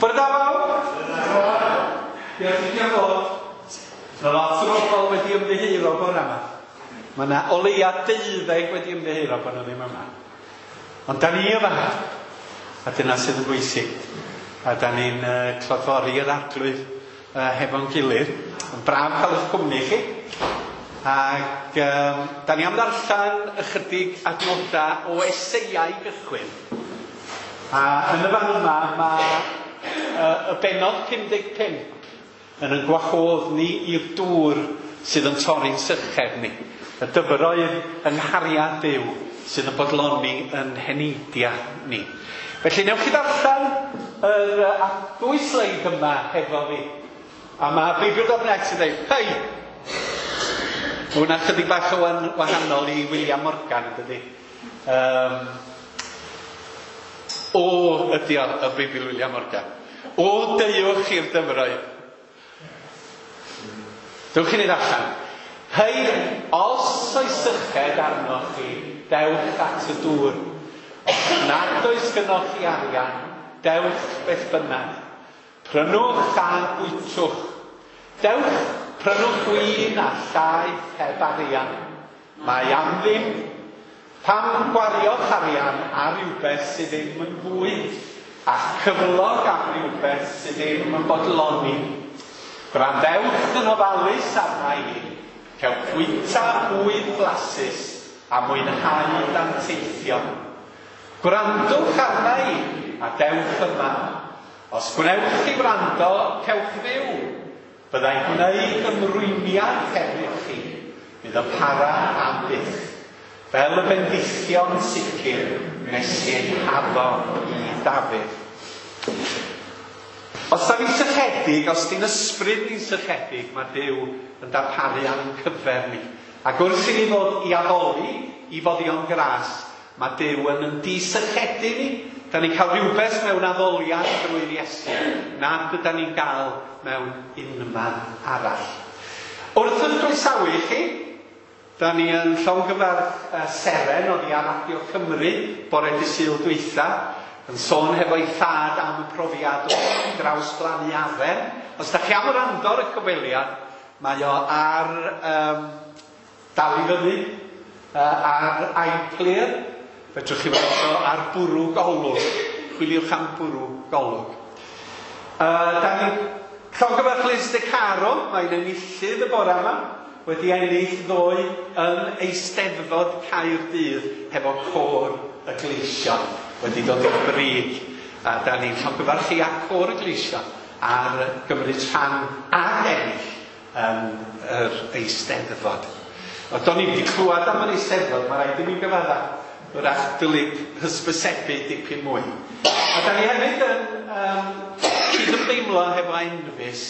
Bore da bawb! Diolch i chi am ddod. Mae lot o bobl wedi ymddiheuro bore yma. Mae yna o leia 12 wedi ymddiheuro bod nhw ddim yma. Ond da ni yma, a dyna sydd yn bwysig. A da ni'n clodfori yr Arglwydd hefo'n gilydd. Yn braf cael eich cwmni chi. Ac da ni am ddarllen ychydig adnodau o Eseia i gychwyn. A yn y fan yma mae y bennod 55 yn ein gwahodd ni i'r dŵr sydd yn torri'n syched ni. Y dyfroedd yng nghariad Duw sydd yn bodloni yn heneidiau ni. Felly newch chi ddarllen yr ddwy sleid yma hefo fi. A mae Beibl.net yn dweud, hei! Mae hwnna chydig bach o wahanol i William Morgan, dydy? O ydy o, y Beibl William Morgan. O, deuwch i'r dyfroedd. Dewch i ni ddarllen. Hei, os oes syched arnoch chi, dewch at y dŵr. Os nad oes gynnoch chi arian, dewch beth bynnag. Prynwch a bwytwch. Dewch, prynwch win a llaeth heb arian. Mae am ddim. Pam gwario'ch arian ar rywbeth sydd ddim yn fwyd, a'ch cyflog am rywbeth sydd ddim yn bodloni? Gwrandewch yn ofalus arna i, cewch fwyta bwyd blasus a mwynhau danteithion. Gwrandwch arna i, a dewch yma. Os gwnewch chi wrando, cewch fyw. Byddai'n gwneud ymrwymiad hefyd chi, fydd yn para am byth, fel y bendithion sicr wnes i eu haddo i Dafydd. Os da ni'n sychedig, os di'n ysbryd ni'n sychedig, mae Duw yn darparu ar ein cyfer ni. Ac wrth i ni ddod i addoli i foddion gras, Mae Duw yn yn disychedu ni. Da ni'n cael rhywbeth mewn addoliad drwy'r Iesu nad ydan ni'n gael mewn unman arall. Wrth yn croesawu chi, da ni yn llongyfarch Seren oddi ar Radio Cymru bore dy Sul dwytha, yn sôn hefo'i thad am y profiad o drawsblannu aren. Os da chi am wrando ar y cyfweliad, mae o ar um, Dal i fyny ar iPlayer. Fedrwch chi weld o ar Bwrw Golwg. Chwiliwch am Bwrw Golwg. Da ni'n llongyfarch Liz De Caro, mae'n enillydd y bore yma, wedi ennill ddoe yn Eisteddfod Caerdydd hefo Côr y Gleision, wedi dod i'r brig. A da ni'n llongyfarch chi a Côr y Gleision ar gymryd rhan ac ennill yn yr Eisteddfod. O, do'n i'm 'di clywed am yr Eisteddfod, mae rhaid i mi gyfadda. Wrach dylid hysbysebu dipyn mwy. A da ni hefyd yn um, cydymdeimlo hefo Enfys.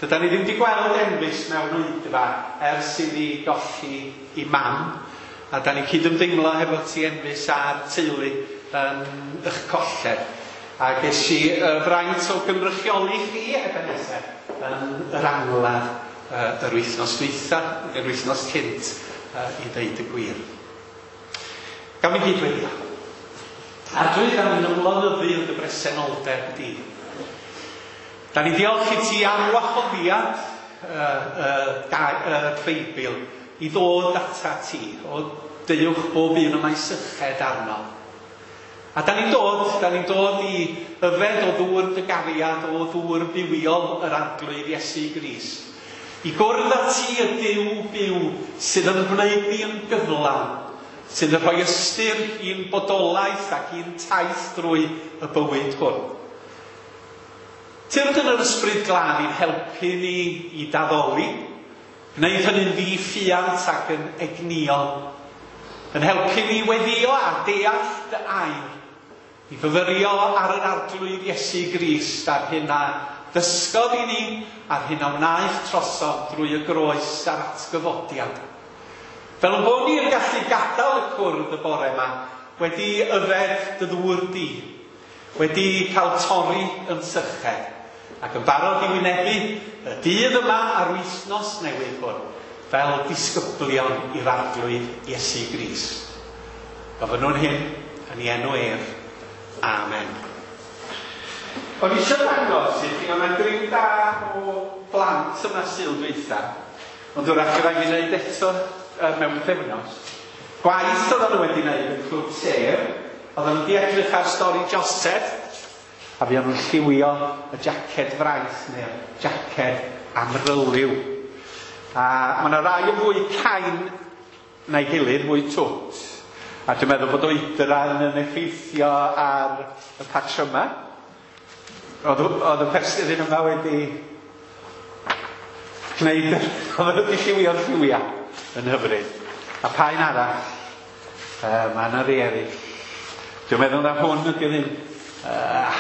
Dydan ni ddim wedi gweld Enfys mewn oedfa ers iddi golli i mam. A da ni'n cydymdeimlo hefo ti Enfys a'r teulu yn eich colled. A ges i y fraint o gynrychioli chi, Ebenezer, yn yr angladd yr wythnos dwytha, yr wythnos cynt, i ddeud y gwir. Gawn ni gyd weddio. Arglwydd, da ni'n ymlonyddu yn dy bresenoldeb di. Da ni'n diolch i ti am wahoddiad y, y, y Beibl i ddod ata ti, o deuwch bob un y mae syched arno. A da ni'n dod, da ni'n dod i yfed o ddŵr dy gariad, o ddŵr bywiol yr Arglwydd Iesu Grist. I gwrdd â ti y Duw byw sydd yn gwneud ni yn gyflawn, sydd yn rhoi ystyr i'n bodolaeth ac i'n taith drwy y bywyd hwn. Tyrd yn yr Ysbryd Glân i'n helpu ni i d'addoli, Gwneud hynny'n ddi-ffiant ac yn egnïol. Yn helpu ni weddïo a deall dy air, i fyfyrio ar yr Arglwydd Iesu Grist a'r hyn a ddysgodd i ni a'r hyn a wnaeth trosom drwy y groes a'r atgyfodiad. Fel ein bod ni yn gallu gadael y cwrdd y bore yma wedi yfed dy ddŵr di, Wedi cael torri yn syched, ac yn barod i wynebu y dydd yma a'r wythnos newydd hwn, fel disgyblion i'r Arglwydd Iesu Grist. Gofynnwn hyn yn ei enw ef. Amen. O'n i eisiau dangos i chi, oedd yna griw da o blant yma Sul dwytha, ond wrach fydd rhaid i wneud eto mewn pythefnos. Gwaith oedden nhw wedi wneud yn Clwb Sêr, oedden nhw wedi edrych ar stori Joseph, a fuon nhw'n lliwio y jaced fraith neu'r jaced amryliw. A mae yna rai yn fwy cain na'i gilydd, fwy twt. A dwi'n meddwl bod oedran yn effeithio ar y patryma. Oedd, oedd y person yma wedi gwneud, oedd wedi lliwio'r lliwiau yn hyfryd. A pa un arall? Mae yna rei eraill. Dwi'n meddwl na hwn ydy'r un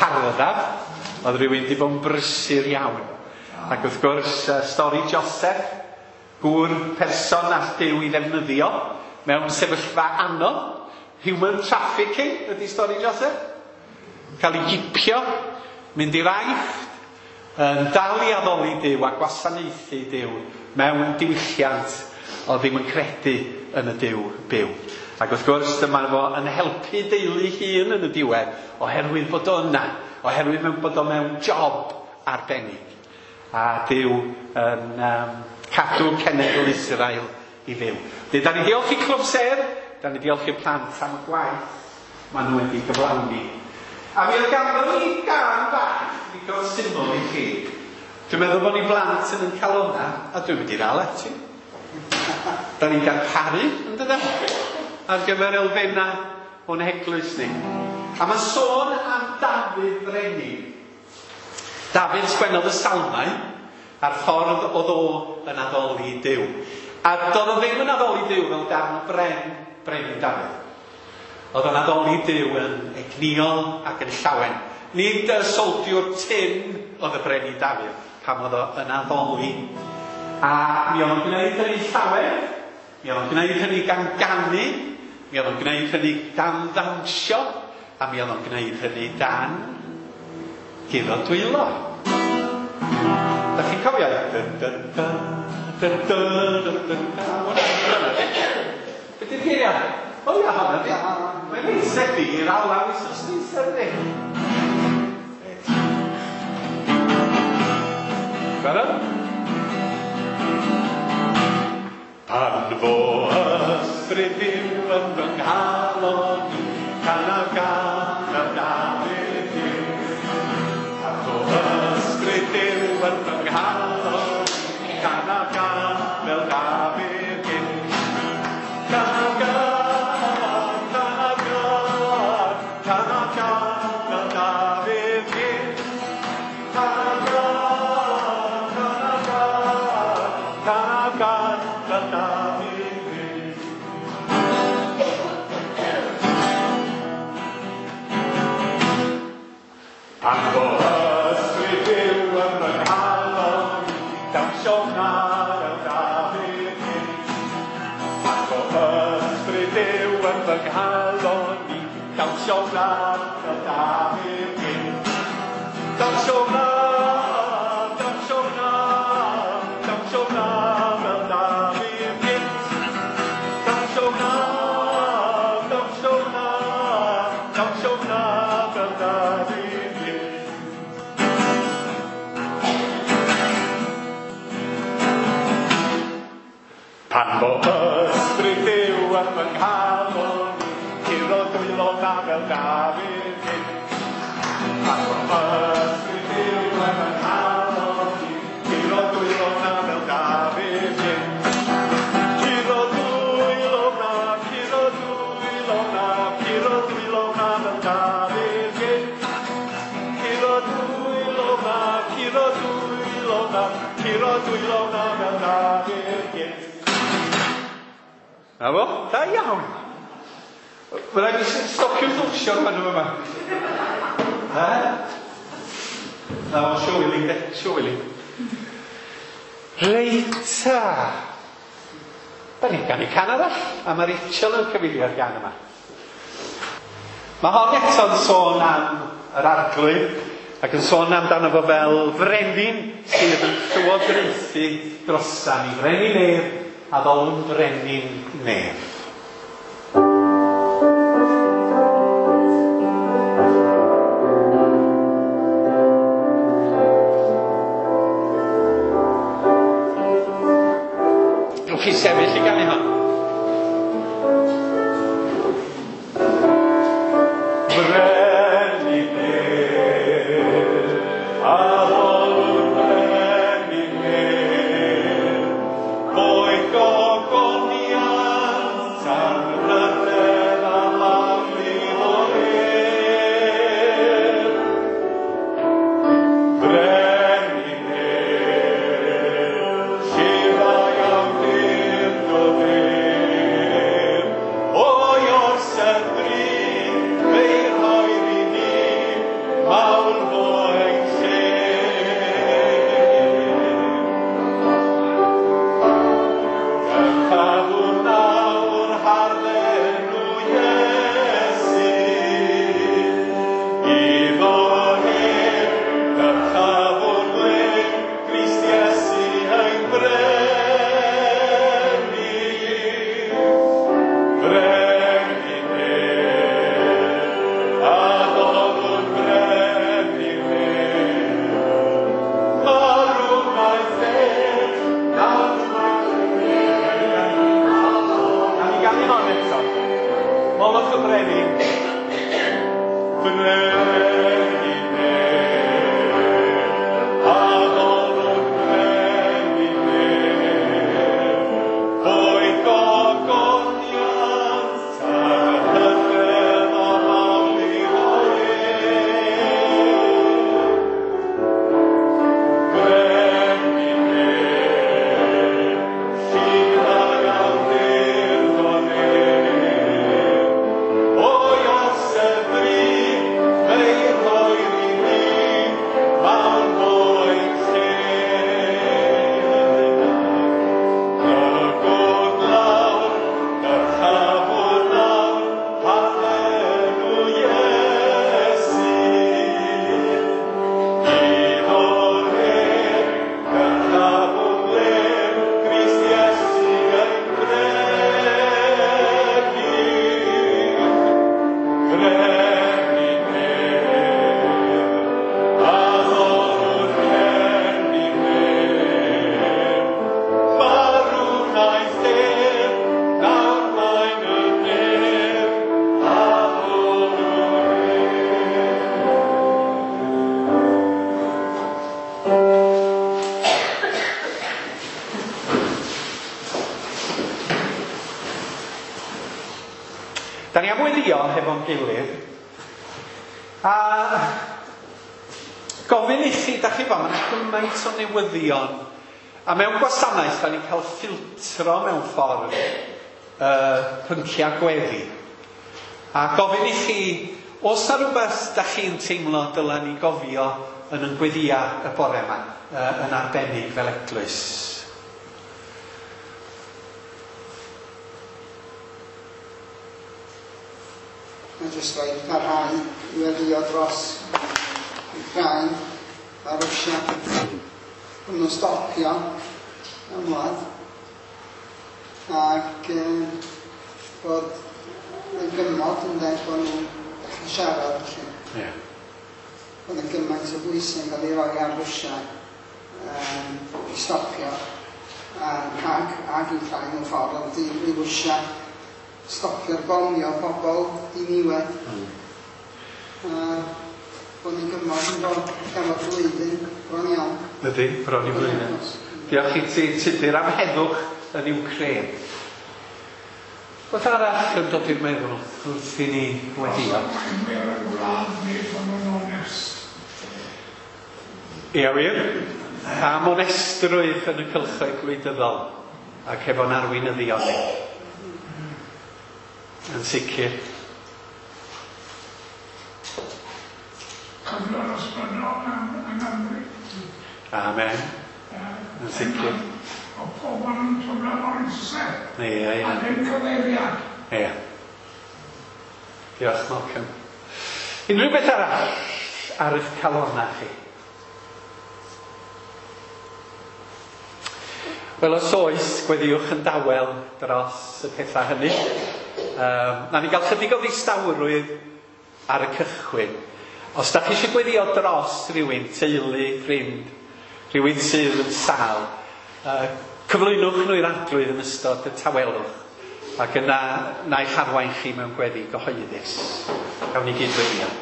harddaf. Oedd rhywun wedi bod yn brysur iawn. Ac wrth gwrs, stori Joseph, gŵr person all Duw i ddefnyddio mewn sefyllfa anodd. Human trafficking ydy stori Joseph. Cael ei gipio, mynd i'r Aifft, yn dal i addoli Duw a gwasanaethu Duw mewn diwylliant oedd ddim yn credu yn y Duw byw. Ac wrth gwrs, dyma fo yn helpu deulu hun yn y diwedd, oherwydd bod o yna, oherwydd bod o mewn job arbennig. A Duw yn cadw cenedl Israel i fyw. Felly, da ni diolch i Clwb Sêr, da ni diolch i'r plant am y gwaith maen nhw wedi gyflawni. A mi oedd ganddo ni gân bach ddigon syml i chi. Dwi'n meddwl bod ni blant yn ein calonna, a dwi'n mynd i ddal ati. Da ni'n darparu, yn dydan, ar gyfer elfennau o'n heglwys ni. A mae'n sôn am Dafydd Brenin. Dafydd sgwennodd y salmau a'r ffordd oedd o yn addoli Duw. A doedd o ddim yn addoli Duw fel darn o bren, Brenin Dafydd. Oedd o'n addoli Duw yn egnïol ac yn llawen. Nid y soldiwr tyn oedd y Brenin Dafydd pan oedd o yn addoli. A mi oedd o'n gwneud hynny llawen, mi oedd o'n gwneud hynny gan ganu, mi oedd o'n gwneud hynny dan ddawnsio, a mi oedd o'n gwneud hynny dan guro dwylo. Da chi'n cofio? Dyn, dyn, dyn, dyn, dyn, dyn, dyn, dyn. Be di'r geiriau? O ia, honna di. Mae'n reit debyg i'r alaw wythnos dwytha, dydi? Barod? Pan fo ysbryd Duw yn fy nghalon i, canaf gân fel Dafydd yw. Pan fo ysbryd Duw yn fy nghalon i, canaf gân fel Dafydd yw. Canaf gân, canaf gân, canaf gân fel Dafydd yw. Canaf gân, canaf gân, canaf gân fel Dafydd yw. Pan fo ysbryd Duw yn fy nghalon i, dawnsio wna fel Dafydd yw. Pan fo ysbryd Duw yn fy nghalon i, dawnsio wna fel Dafydd yw. Dawnsio wna, dawnsio wna, dawnsio wna fel Dafydd yw. Dawnsio wna, dawnsio wna, dawnsio wna fel Dafydd yw. Pan fo ysbryd Duw yn fy nghalon i, curo dwylo na fel Dafydd yw. Pan fo ysbryd Duw yn fy nghalon i, curo dwylo na fel Dafydd yw. Curo dwylo na, curo dwylo na, curo dwylo na fel Dafydd yw. Curo dwylo na, curo dwylo na, curo dwylo na fel Dafydd yw. Na fo? Da iawn. Mae rhaid i stopio'r ddwsio fan yma. Ha? Na fo, siwili, de, siwili. Reit ta. Da ni'n ganu can arall, a mae Rachel yn cyfeirio'r gan yma. Mae hon eto'n sôn am yr arglwydd, ac yn sôn amdano fo fel frenin sydd yn llywodraethu drosan ni. Frenin nef, a ddolwn brenin nef. Da ni am weddio hefo'n gilydd. A gofyn i chi, da chi fo, mae'n gymaint o newyddion. A mewn gwasanaeth, da ni'n cael ffiltro mewn ffordd pynciau gweddi. A gofyn i chi, oes na rhywbeth da chi'n teimlo dyla ni gofio yn yn gweddia y bore yma, yn arbennig fel eglwys? Mae jyst rhaid parhau i weddio dros Wcráin a Rwsia. Bod nhw'n stopio ymladd ac bod yn gymod yn dweud bod nhw'n dechrau siarad felly. Yeah. Bod yn gymaint o bwysau yn cael ei roi ar Rwsia i stopio ag Wcráin mewn ffordd, ond i Rwsia stopio'r bomio pobl diniwed. Bod ni'n gymod yn bod efo blwyddyn bron iawn. Ydy, bron i flwyddyn. Diolch i ti, Tudur, am heddwch yn Wcráin. Beth arall yn dod i'r meddwl wrth i ni weddio? Arweinwyr y gwlad ni fod yn onest. Ia wir, am onestrwydd yn y cylchoedd gwleidyddol ac efo'n arweinyddion ni. Yn sicr. Cyflwr ysbrydol yng Nghymru. Amen. Yn sicr. O pobl yn teimlo mor isel. Ie, ie. A ddim cyfeiriad. Ie. Diolch, Malcolm. Unrhyw beth arall ar eich calonnau chi? Wel, os oes, gweddiwch yn dawel dros y pethau hynny. Na ni gael chydig o ddistawrwydd ar y cychwyn. Os da chi eisiau gweddio dros rhywun, teulu, ffrind, rhywun sydd yn sâl, cyflwynwch nhw i'r Arglwydd yn ystod y tawelwch, ac yna na i'ch arwain chi mewn gweddi gyhoeddus. Gawn ni gyd weddio.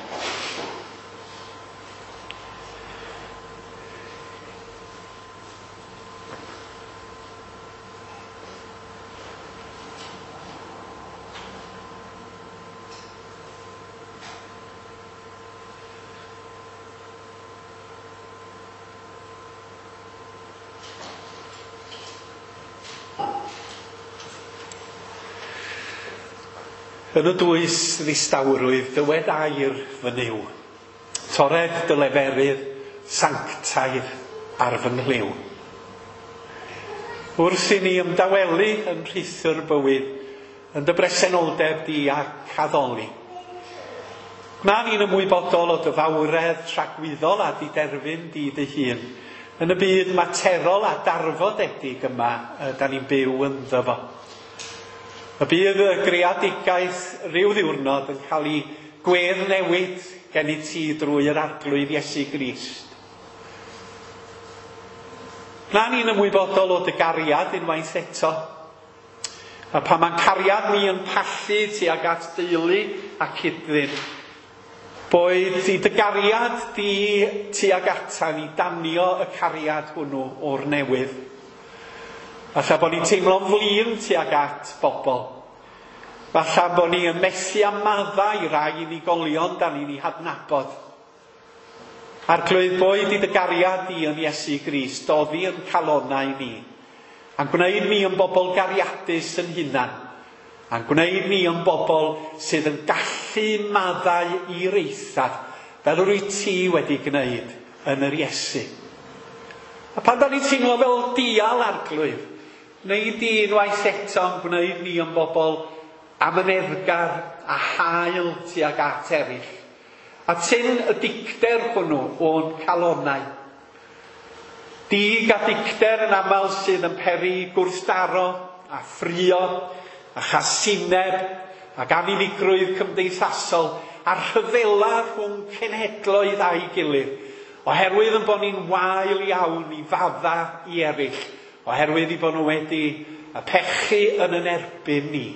Yn y dwys ddistawrwydd, dywed air fy Nuw. Tored dy leferydd sanctaidd ar fy nghlyw. Wrth i ni ymdawelu yn rhithr bywyd, yn dy bresenoldeb di ac addoli. Gwna ni'n ymwybodol o dy fawredd tragwyddol a diderfyn di dy hun, yn y byd materol a darfodedig yma da ni'n byw ynddo fo. Y bydd y greadigaeth rhyw ddiwrnod yn cael ei gwedd newid gen i ti drwy yr Arglwydd Iesu Grist. Gwna ni'n ymwybodol o dy gariad unwaith eto. A pan mae'n cariad ni yn pallu tuag at deulu a cyd-ddyn, boed i dy gariad di tuag ata ni danio y cariad hwnnw o'r newydd. Falle bod ni'n teimlo'n flin tuag at bobl. Falle bod ni yn methu a maddau i rai unigolion da ni'n ei hadnabod. Arglwydd, boed i dy gariad di yn Iesu Grist, doddi yn calonnau ni, a'n gwneud ni yn bobl gariadus yn hunan, a'n gwneud ni yn bobl sydd yn gallu maddau i'r eithaf, fel yr wyt ti wedi gwneud yn yr Iesu. A pan da ni'n teimlo fel dial, Arglwydd, neu di unwaith eto yn gwneud ni yn bobl amyneddgar a hael tuag at eraill. A tyn y dicter hwnnw o'n calonnau. Dig a dicter yn aml sydd yn peri gwrthdaro a ffrio a chasineb ac anunigrwydd cymdeithasol a rhyfela rhwng cenhedloedd a'i gilydd, oherwydd yn bod ni'n wael iawn i fadda i eraill, oherwydd i bod nhw wedi y pechu yn yn erbyn ni.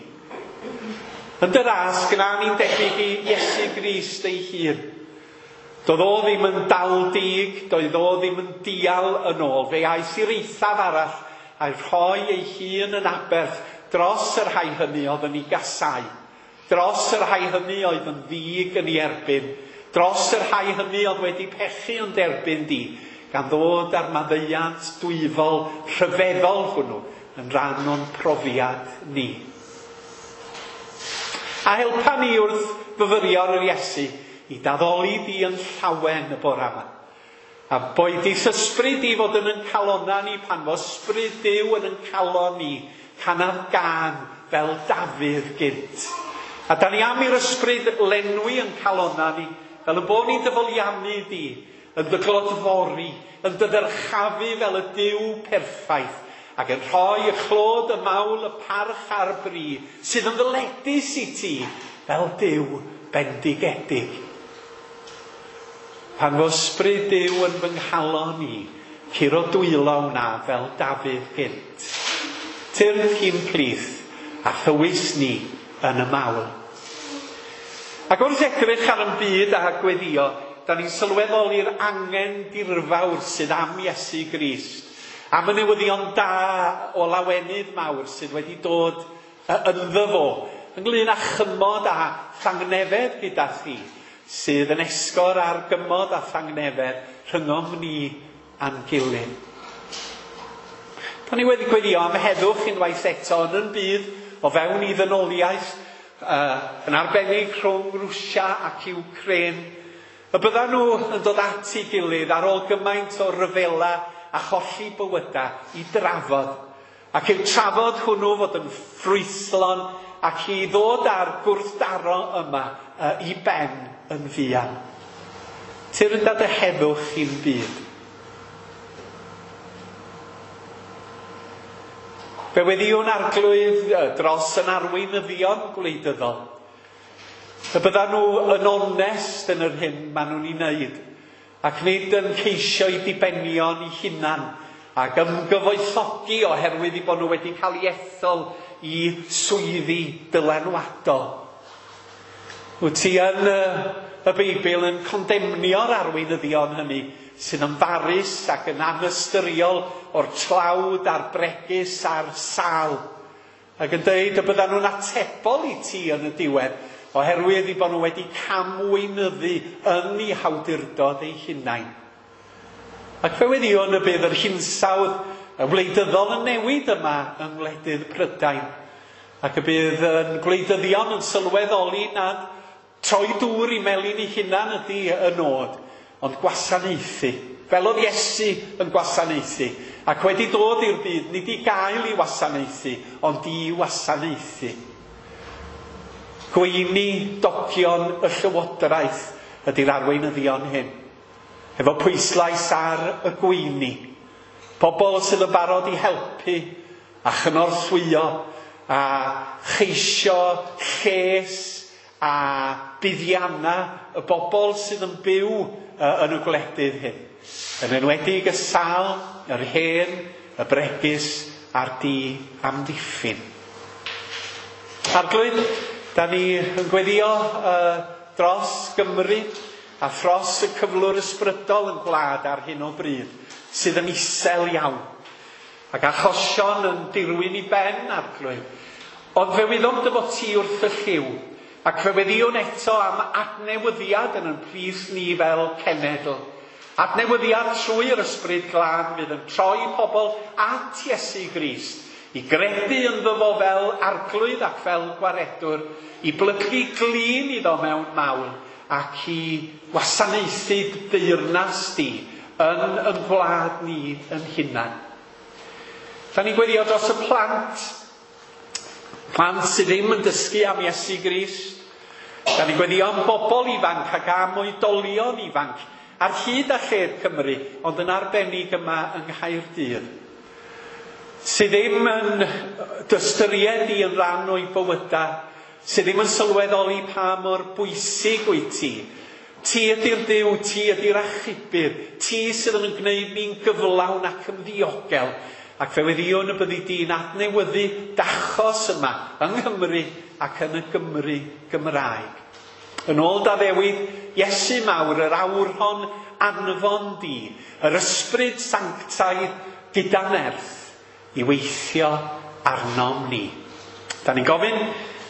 Yn dy ras, gwna ni'n debyg i Iesu Grist ei hun. Doedd o ddim yn dal dig, doedd o ddim yn dial yn ôl. Fe aeth i'r eithaf arall a'i rhoi ei hun yn aberth dros y rhai hynny oedd yn ei gasau. Dros y rhai hynny oedd yn ddig yn ei erbyn, dros y rhai hynny oedd wedi pechu yn derbyn di, gan ddod â'r maddeuant dwyfol rhyfeddol hwnnw yn rhan o'n profiad ni. A helpa ni wrth fyfyrio ar yr Iesu i daddoli di yn llawen y bore yma. A boed i'th ysbryd di fod yn yn calonna ni pan fo ysbryd Duw yn yn calon ni, canaf gân fel Dafydd gynt. A da ni am i'r ysbryd lenwi yn calonna ni, fel y bod ni'n dy foliannu di, yn dy glodfori, yn dy ddyrchafu fel y Duw perffaith, ac yn rhoi y clod, y mawl, y parch a'r bri, sydd yn ddyledus i ti fel Duw bendigedig. Pan fo ysbryd Duw yn fy nghalon i, curo dwylo wna fel Dafydd gynt. Tyrd i'n plith a thywys ni yn y mawl. Ac wrth edrych ar yn byd a gweddio, da ni'n sylweddoli'r angen dirfawr sydd am Iesu Grist, am y newyddion da o lawenydd mawr sydd wedi dod ynddo fo, ynglyn â chymod a thangnefedd gyda thi, sydd yn esgor ar gymod a thangnefedd rhyngom ni a'n gilydd. Da ni wedi gweddio am heddwch unwaith eto yn yn byd o fewn i ddynoliaeth, yn arbennig rhwng Rwsia ac Ukraine. Y byddan nhw yn dod at ei gilydd ar ôl gymaint o ryfela a cholli bywyda i drafod. Ac i'w trafod hwnnw fod yn ffrwythlon ac i ddod â'r gwrthdaro yma i ben yn fuan. Tyrd â dy heddwch i'n byd. Fe weddïwn Arglwydd dros yn arweinyddion gwleidyddol. Y byddan nhw yn onest yn yr hyn maen nhw'n ei wneud, ac nid yn ceisio i dibenion eu hunan ac ymgyfoethogi oherwydd eu bod nhw wedi cael eu ethol i swyddi dylanwadol. Wyt ti yn y Beibl yn condemnio'r arweinyddion hynny sydd yn farus ac yn anystyriol o'r tlawd a'r bregus a'r sâl, ac yn dweud y byddan nhw'n atebol i ti yn y diwedd oherwydd eu bod nhw wedi camweinyddu yn eu hawdurdod eu hunain. Ac fe weddïwn y bydd yr hinsawdd y wleidyddol yn newid yma yng ngwledydd Prydain, ac y bydd yn gwleidyddion yn sylweddoli nad troi dŵr i melin eu hunan ydy y nod, ond gwasanaethu, fel oedd Iesu yn gwasanaethu, ac wedi dod i'r byd nid i gael ei wasanaethu, ond i wasanaethu. Gweinidogion y llywodraeth ydy'r arweinyddion hyn, efo pwyslais ar y gweini. Pobl sydd yn barod i helpu a chynorthwyo a cheisio lles a buddianna y bobl sydd yn byw yn y gwledydd hyn. Yn enwedig y sâl, yr hen, y bregus a'r di-amddiffyn. Arglwydd, da ni yn gweddio dros Gymru a thros y cyflwr ysbrydol yn gwlad ar hyn o bryd, sydd yn isel iawn, ac achosion yn dirwyn i ben, Arglwydd. Ond fe wyddom dy fod ti wrth y llyw, ac fe weddïwn eto am adnewyddiad yn yn plith ni fel cenedl. Adnewyddiad trwy'r ysbryd glân fydd yn troi pobl at Iesu Grist, i gredu ynddo fo fel arglwydd ac fel gwaredwr, i blygu glin iddo mewn mawl, ac i wasanaethu deyrnas di yn y gwlad ni yn hunan. Da ni'n gweddio dros y plant, plant sydd ddim yn dysgu am Iesu Grist. Da ni'n gweddio am bobl ifanc ac am oedolion ifanc ar hyd a lled Cymru, ond yn arbennig yma yng Nghaerdydd, sydd ddim yn dystyried i yn rhan o'i bywydau, sydd ddim yn sylweddoli pa mor bwysig wyt ti. Ti ydy'r Duw, ti ydy'r achubydd, ti sydd yn gwneud ni'n gyflawn ac yn ddiogel. Ac fe weddïwn y byddi di'n adnewyddu dachos yma yng Nghymru ac yn y Gymru Gymraeg. Yn ôl d'addewid, Iesu mawr, yr awrhon anfon di, yr ysbryd sanctaidd gyda nerth i weithio arnom ni. Da ni'n gofyn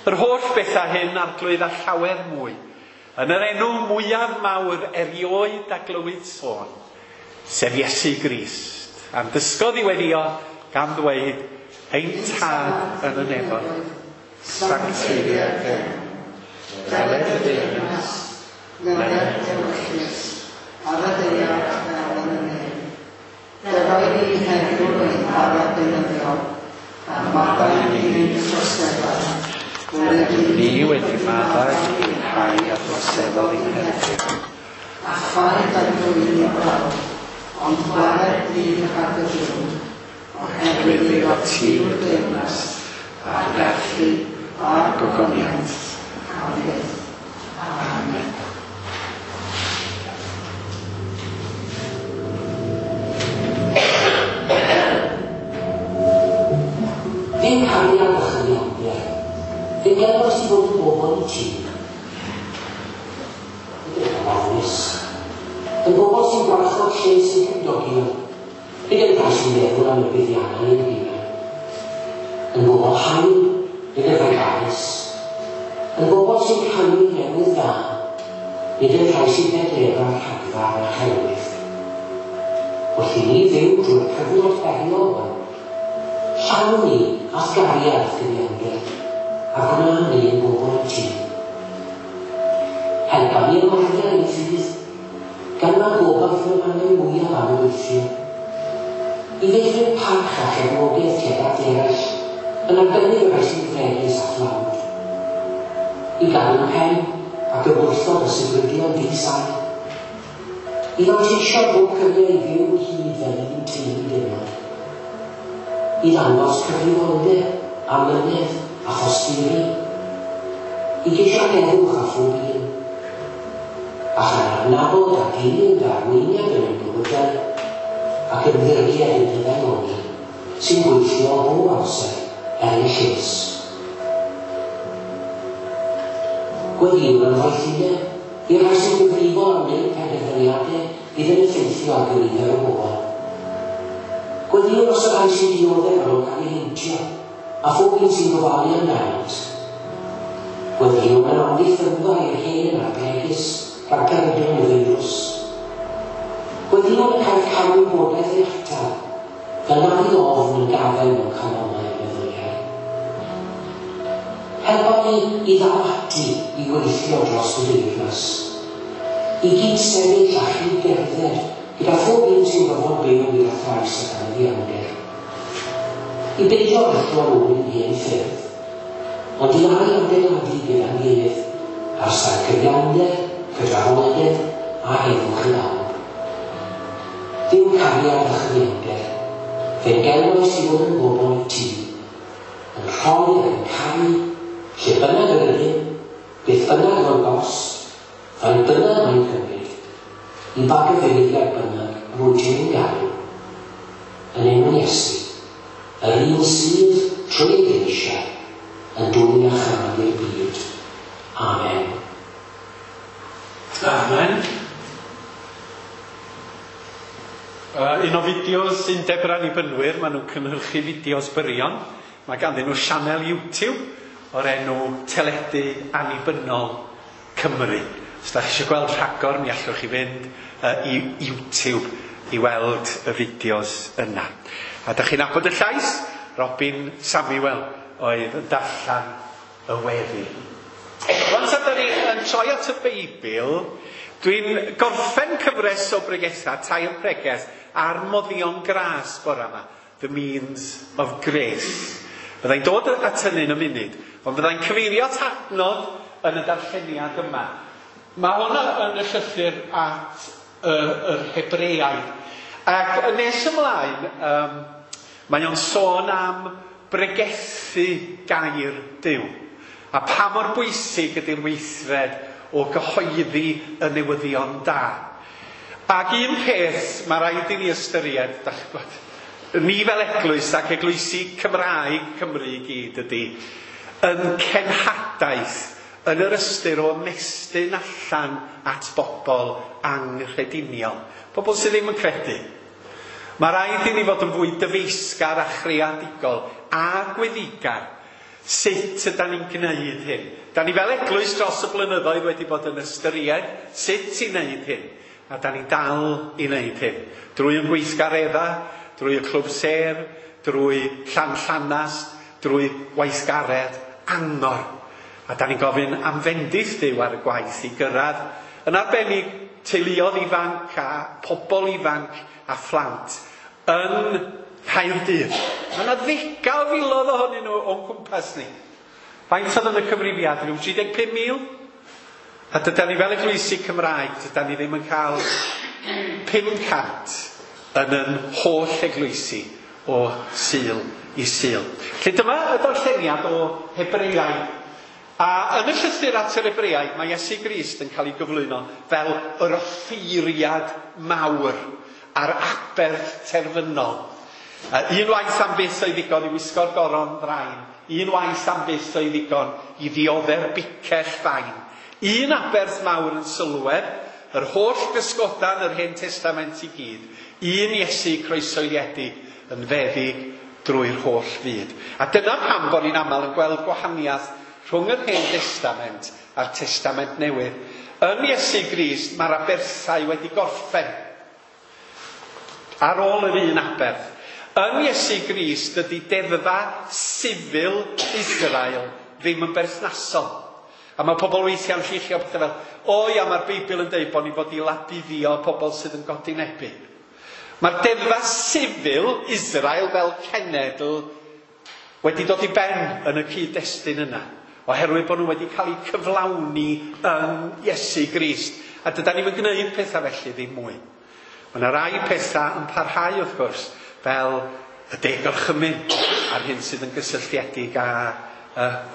Yr holl bethau hyn, Arglwydd, a llawer mwy, yn yr enw mwyaf mawr erioed a glywyd sôn, sef Iesu Grist, a'n dysgodd i weddïo gan ddweud, Ein Tad yn y nefoedd, sancteiddier dy enw, deled dy deyrnas, weled dy ewyllys, ar y ddaear fel yn y nef. Dero i ni heddiw ein bara beunyddiol, a maddau i ni ein troseddau, fel yr ydym Ni wedi maddau i'r rhai a droseddodd i'n herbyn. A phaid â dwyn i brawf, ond gwared ni rhag y drwg, oherwydd iddo ti yw'r deyrnas, a'r gallu, a'r gogoniant, am byth. Amen. Fe'n cariad a chyfiawnder, fe'n gelwais i fod yn bobl i ti. Nid yn ofnus, yn bobl sy'n gwarchod lles eu cymdogion, nid yn rhai sy'n meddwl am y buddiannau eu hunain. Yn bobl hael, nid yn rhai barus. Yn bobl sy'n canu newydd dda, nid yn rhai sy'n pedlera rhagfarn a chelwydd. Wrth i ni fyw drwy'r cyfnod heriol hwn, llawn ni a'th gariad a'th gyfiawnder, a gwna ni yn bobl i ti. Helpa ni ymarfer ein ffydd, gan ma gobaith y mannau mwyaf anobeithiol, i feithrin parch a chefnogaeth tuag at eraill, yn arbennig y rhai sy'n fregus a thlawd, i gadw'n pen ac ymwrthod y sibrydion di-sail, i fanteisio bob cyfle i fyw ynghyd fel un teulu dynol, i ddangos cyfrifoldeb, amynedd a thosturi, i geisio heddwch â phob un, a chan adnabod a dilyn dy arweiniad yn ein bywydau ac ymddiried yn dy ddaioni sy'n gweithio bob amser er ein lles. Gweddïwn am ddoethineb i'r rhai sy'n gyfrifol am wneud penderfyniadau fydd yn effeithio ar gynifer o bobl. Gweddïwn dros y rhai sy'n dioddef ar ôl cael eu heintio, a phob un sy'n gofalu amdanynt. Gweddïwn am amddiffynfa i'r hen a'r bregus rhag peryglon y feirws. Gweddïwn y caiff camwybodaeth ei atal, fel na fydd ofn yn gafael mewn calonnau a meddyliau. Helpa ni i ddal ati i weithio dros y deyrnas, i gyd-sefyll a chyd-gerdded gyda phob un sy'n gorfod byw gyda thrais ac anghyfiawnder, i beidio rhuthro yn ôl i'n hen ffyrdd, ond i ail-adeiladu gyda'n gilydd ar sail cyfiawnder, cydraddoldeb a heddwch i bawb. Duw cariad a chyfiawnder, fe'n gelwais i fod yn bobl i ti, yn rhoi ac yn caru, lle bynnag yr ydym, beth bynnag fo'r gost, faint bynnag mae'n cymryd, i ba gyfeiriad bynnag rwyt ti'n ein galw. Yn enw Iesu, yr un sydd, trwy ei geisiau, yn dwyn iachâd i'r byd. Amen. Amen. Un o fideos Undeb yr Annibynwyr, maen nhw'n cynhyrchu fideos byrion. Mae ganddyn nhw sianel YouTube o'r enw Teledu Annibynnol Cymru. Os da chi eisiau gweld rhagor, mi allwch chi fynd i YouTube i weld y fideos yna. A da chi'n nabod y llais? Robin Samuel oedd yn darllen y weddi. Rwan ta da ni yn troi at y Beibl, dwi'n gorffen cyfres o bregethau, 3 pregeth, ar moddion gras bore yma, The Means of Grace. Fyddai'n dod at hynny yn y munud, ond fyddai'n cyfeirio at adnod yn y darlleniad yma. Mae hwnna yn y llythyr at yr Hebreaid. Ac yn nes ymlaen, mae o'n sôn am bregethu gair Duw. A pa mor bwysig ydy'r weithred o gyhoeddi y newyddion da. Ac un peth mae rhaid i ni ystyried, dach chi'n gwybod, ni fel eglwys ac eglwysi Cymraeg Cymru i gyd ydy, yn cenhadaeth yn yr ystyr o ymestyn allan at bobl anghrediniol. Pobl sydd ddim yn credu. Mae rhaid i ni fod yn fwy dyfeisgar a chreadigol a gweddigar Sut ydan ni'n gwneud hyn? Da ni fel eglwys dros y blynyddoedd wedi bod yn ystyried sut i wneud hyn. A da ni'n dal i wneud hyn. Drwy yn gweithgaredda, drwy y clwb sêr, drwy Llanllanast, drwy weithgaredd angor. A da ni'n gofyn am fendith Duw ar y gwaith i gyrraedd yn arbennig teuluodd ifanc a pobl ifanc a phlant yn Caerdydd. Mae yna ddegau o filoedd ohonyn nhw o'n cwmpas ni. Faint oedd yn y cyfrifiad? Rhyw 35,000? A dydan ni fel eglwysi Cymraeg, dydan ni ddim yn cael 500 yn yn holl eglwysi o Sul i Sul. Felly dyma y darlleniad o Hebreaid. A yn y llythyr at yr Hebreaid, mae Iesu Grist yn cael ei gyflwyno fel yr offeiriad mawr a'r aberth terfynol. Un waith am byth oedd ddigon i wisgo'r goron ddrain. Un waith am byth oedd ddigon i ddiodde'r bicell fain. Un aberth mawr yn sylwedd, yr holl gysgodan yr Hen Testament i gyd. Un Iesu croesoeliedig yn feddyg drwy'r holl fyd. A dyna pam bod ni'n aml yn gweld gwahaniaeth rhwng yr Hen Testament a'r Testament Newydd. Yn Iesu Grist mae'r aberthau wedi gorffen ar ôl yr un aberth. Yn Iesu Grist dydy deddfa sifil Israel ddim yn berthnasol. A mae pobl weithiau'n lluchio pethau fel, o ia, mae'r Beibl yn dweud bod ni fod i labuddio pobl sydd yn godinebu. Mae'r deddfa sifil Israel fel cenedl wedi dod i ben yn y cyd-destun yna, oherwydd bod nhw wedi cael eu cyflawni yn Iesu Grist. A dydan ni'm yn gwneud pethau felly ddim mwy. Mae yna rai pethau yn parhau wrth gwrs, fel y deg orchymyn a'r hyn sydd yn gysylltiedig â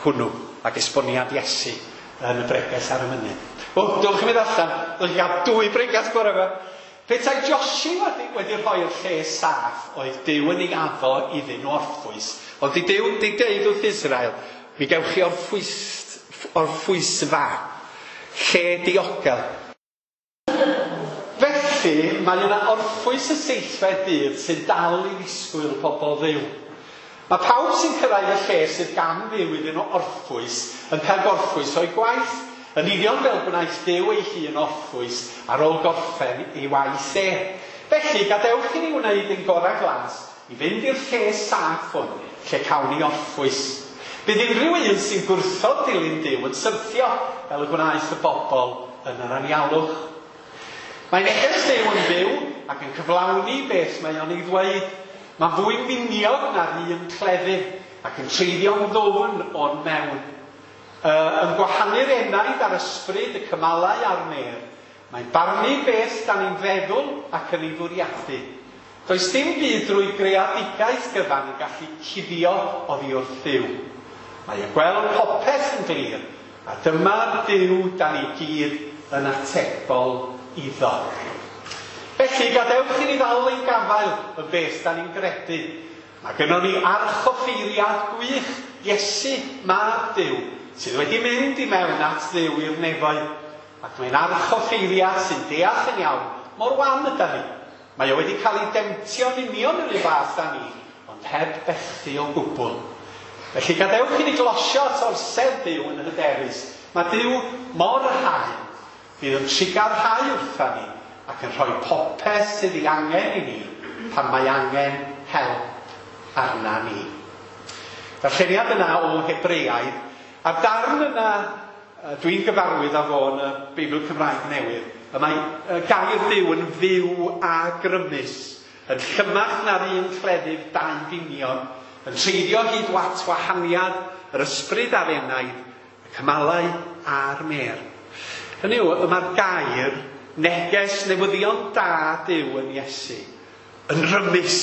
hwnnw ac esboniad Iesu yn y bregeth ar y mynydd. O, dylch chi mynd allan, dylch chi gael dwy bregeth bore yma. Petai Joshua wedi rhoi'r lle saff oedd Duw yn ei addo iddyn nhw orffwys. Ond di Duw di deud wrth Israel, mi gewch chi orffwysfa, lle diogel. Felly, mae yna orffwys y seithfed dydd sy'n dal i ddisgwyl pobl Dduw. Mae pawb sy'n cyrraedd y lle sydd gan Dduw iddyn nhw orffwys yn cael gorffwys o'i gwaith, yn union fel gwnaeth Duw ei hun orffwys ar ôl gorffen ei waith e. Felly, gadewch i ni wneud ein gorau glas i fynd i'r lle saff hwn, lle cawn ni orffwys. Bydd unrhyw un sy'n gwrthod dilyn Duw yn syrthio fel y gwnaeth y bobl yn yr anialwch. Mae neges Duw yn fyw ac yn cyflawni beth mae o'n ei ddweud. Mae'n fwy miniog na'r un cleddyf ac yn treiddio'n ddwfn o'r mewn. Yn gwahanu'r enaid a'r ysbryd, y cymalau a'r mêr. Mae'n barnu beth da ni'n feddwl ac yn ei fwriadu. Does dim byd drwy greadigaeth gyfan yn gallu cuddio oddi wrth Dduw. Mae yn gweld popeth yn glir, a dyma'r Duw da ni gyd yn atebol iddo. Felly, gadewch i ni ddal ein gafael yn beth da ni'n gredu. Mae gynnon ni archoffeiriad gwych, Iesu, mab Duw, sydd wedi mynd i mewn at Dduw i'r nefoedd. Ac mae'n archoffeiriad sy'n deall yn iawn mor wan yda ni. Mae o wedi cael ei demtio'n union yr un fath â ni, ond heb bethu o gwbl. Felly gadewch i ni glosio at orsedd Duw yn hyderus. Mae Duw mor hael, fydd yn trugarhau wrtha ni ac yn rhoi popeth sydd ei angen i ni pan mae angen help arna ni. Darlleniad yna o Hebreaidd, a'r darn yna dwi'n gyfarwydd â fo yn y Beibl Cymraeg Newydd, y mae gair Duw yn fyw a grymus, yn llymach na'r un cleddyf dau finion, yn treiddio hyd wat wahaniad yr ysbryd a'r enaid, y cymalau a'r mêr. Hynny yw, y mae'r gair neges newyddion da Duw yn Iesu yn rymus,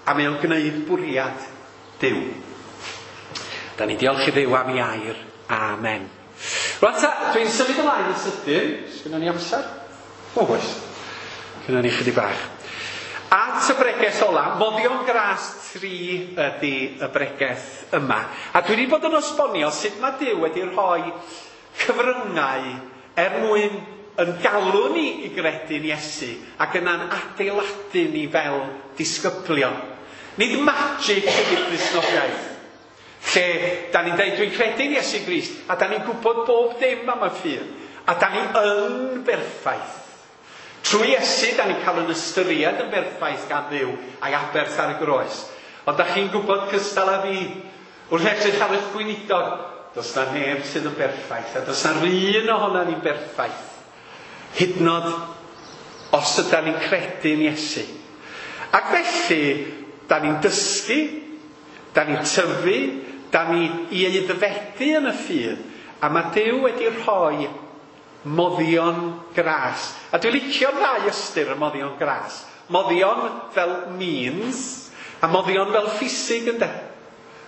a mae o'n gwneud bwriad Duw. Da ni diolch i Dduw am ei air. Amen. Rwan ta, dwi'n symud ymlaen yn sydyn. Sgynnon ni amser? O, oes. Gynnon ni chydig bach. At y bregeth ola, Moddion Gras 3 ydy y bregeth yma. A dwi wedi bod yn esbonio sut mae Duw wedi rhoi cyfryngau er mwyn yn galw ni i gredu'n Iesu ac yna'n adeiladu ni fel disgyblion. Nid magic ydy'r Cristnogaeth. Lle da ni'n dweud, dwi'n credu'n Iesu Grist, a da ni'n gwybod bob dim am y ffydd, a da ni yn berffaith. Trwy Iesu, da ni'n cael yn ystyried yn berffaith gan Dduw a'i aberth ar y groes. Ond da chi'n gwybod cystal â fi, wrth edrych ar eich gweinidog, does na neb sydd yn berffaith, a does na'r un ohonan ni'n berffaith. Hyd yn oed os ydan ni'n credu'n Iesu. Ac felly, da ni'n dysgu, da ni'n tyfu, da ni i aeddfedu yn y ffydd, a mae Duw wedi rhoi moddion gras. A dwi'n licio'r ddau ystyr y moddion gras. Moddion fel means, a moddion fel ffisig, ynde?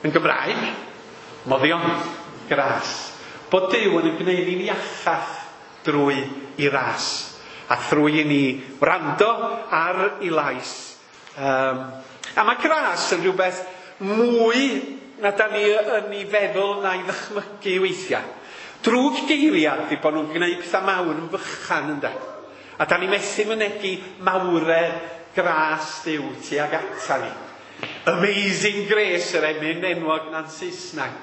Yn Gymraeg, moddion gras. Bod Duw yn gwneud ni'n iachach drwy i ras, a thrwy i ni wrando ar ei lais. A mae gras yn rhywbeth mwy na da ni yn ei feddwl na'i ddychmygu weithiau. Drwg geiriad di bod nhw'n gwneud pethau mawr yn fychan, ynde? A da ni methu mynegi mawredd gras Duw tuag ata ni. Amazing Grace, yr emyn enwog na'n Saesneg.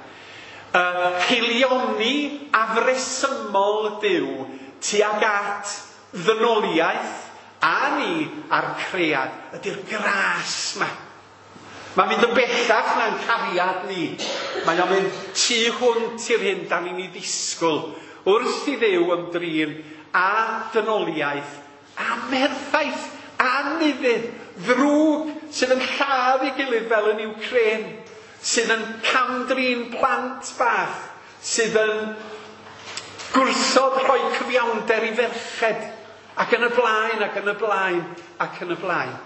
Haelioni afresymol Duw tuag at ddynoliaeth a ni a'r cread ydy'r gras ma. Mae'n mynd yn bellach na'n cariad ni. Mae o'n mynd tu hwnt i'r hyn da ni'n ei ddisgwyl wrth i Dduw ymdrin a dynoliaeth amherffaith, anufudd, ddrwg sydd yn lladd ei gilydd fel yn Ukraine, sydd yn camdrin plant bach, sydd yn gwrthod rhoi cyfiawnder i ferched, ac yn y blaen, ac yn y blaen, ac yn y blaen.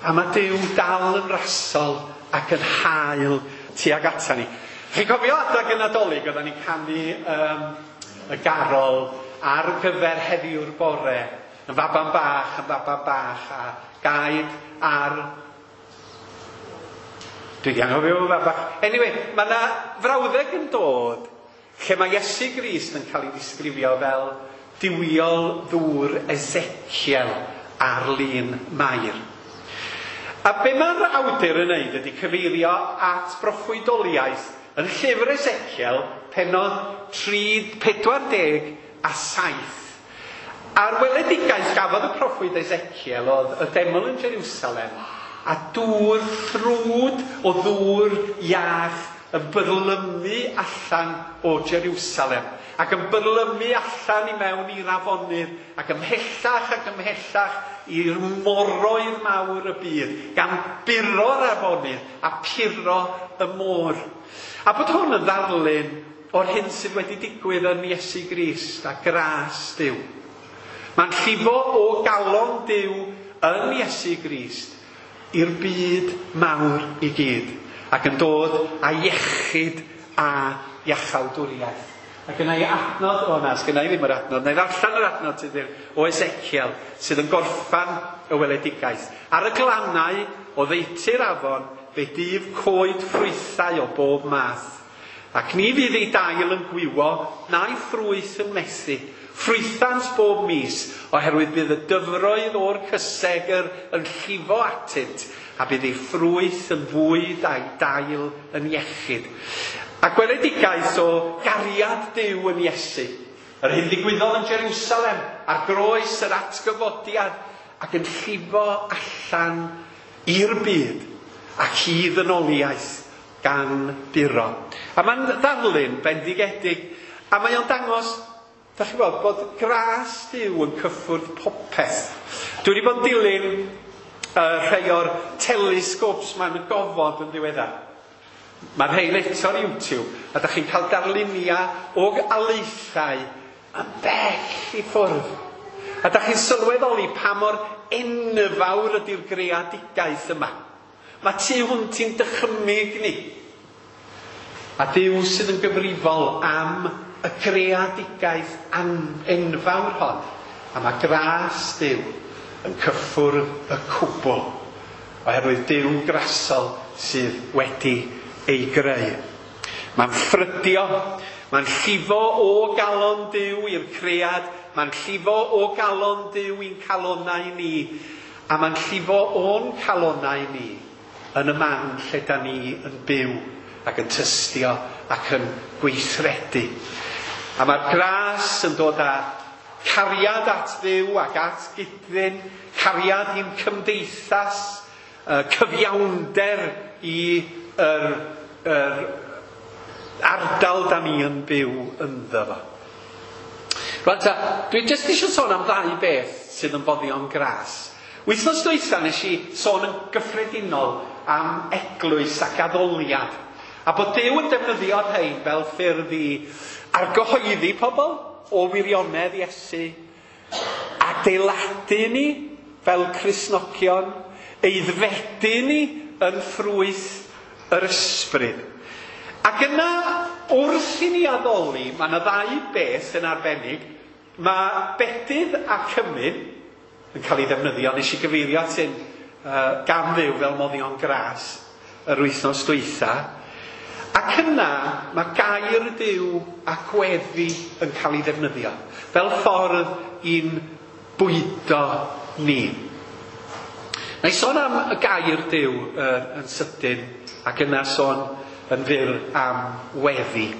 A mae Duw dal yn rasol ac yn hael tuag ata ni. Chi'n cofio adag y Nadolig, oedden ni'n canu y garol ar gyfer heddiw'r bore, yn faban bach, yn faban bach, a gaed ar... Dwi 'di anghofio fo bach. Anyway, mae yna frawddeg yn dod lle mae Iesu Grist yn cael ei ddisgrifio fel duwiol ddŵr Ezekiel ar lun Mair. A be mae'r awdur yn neud ydy cyfeirio at broffwydoliaeth yn llyfr Ezekiel, pennod 3, 47. A'r weledigaeth gafodd y proffwyd Ezekiel oedd y deml yn Jerusalem a dŵr ffrwd o ddŵr iach yn byrlymu allan o Jerusalem, ac yn byrlymu allan i mewn i'r afonydd, ac ymhellach i'r moroedd mawr y byd, gan buro'r afonydd a puro y môr. A bod hwn yn ddarlun o'r hyn sydd wedi digwydd yn Iesu Grist a gras Duw. Mae'n llifo o galon Duw yn Iesu Grist i'r byd mawr i gyd, ac yn dod â iechyd a iachawdwriaeth. A gynna i adnod, o na, sgynna i ddim yr adnod, na i ddarllen yr adnod sydd o Ezekiel, sydd yn gorffan y weledigaeth. Ar y glannau o ddeutu'r afon, fe dyf coed ffrwythau o bob math. Ac ni fydd ei dail yn gwywo, na'i ffrwyth yn methu. Ffrwythant bob mis, oherwydd bydd y dyfroedd o'r cysegr yn llifo atynt, a bydd ei ffrwyth yn fwyd a'i dail yn iechyd. A gweledigaeth o gariad Duw yn Iesu, yr hyn ddigwyddodd yn Jerusalem, ar groes yr atgyfodiad, ac yn llifo allan i'r byd ac i ddynoliaeth gan buro. A mae'n ddarlun bendigedig, a mae o'n dangos, da chi'n gweld, bod gras Duw yn cyffwrdd popeth. Dwi wedi bod yn dilyn rhai o'r telescopes ma'n y gofod yn ddiweddar. Mae rhain eto ar YouTube, a da chi'n cael darluniau o alaethau yn bell i ffwrdd. A da chi'n sylweddoli pa mor enfawr ydy'r greadigaeth yma. Mae tu hwnt i'n dychymyg ni. A Duw sydd yn gyfrifol am y greadigaeth enfawr hon. A mae gras Duw yn cyffwrdd y cwbl, oherwydd Duw grasol sydd wedi ei greu. Mae'n ffrydio, mae'n llifo o galon Duw i'r cread, mae'n llifo o galon Duw i'n calonnau ni, a mae'n llifo o'n calonnau ni yn y man lle da ni yn byw ac yn tystio ac yn gweithredu. A mae'r gras yn dod â cariad at Dduw ac at gydfyn, cariad i'n cymdeithas, cyfiawnder i yr ardal da ni yn byw ynddo fo. Rwan ta, dwi jyst eisiau sôn am ddau beth sydd yn foddion gras. Wythnos dwytha nes i sôn yn gyffredinol am eglwys ac addoliad. A bod Duw yn defnyddio'r rhain fel ffyrdd i argyhoeddi pobl o wirionedd Iesu, adeiladu ni fel Cristnogion, eiddfedu ni yn ffrwyth yr ysbryd. Ac yna, wrth i ni addoli, mae yna ddau beth yn arbennig. Mae bedydd a cymun yn cael ei ddefnyddio. Nes i gyfeirio at hyn gan Dduw fel moddion gras yr wythnos dwytha. Ac yna, mae gair Duw a gweddi yn cael ei ddefnyddio fel ffordd i'n bwydo ni. Na i sôn am y gair Duw yn sydyn, ac yna sôn yn fyr am weddi.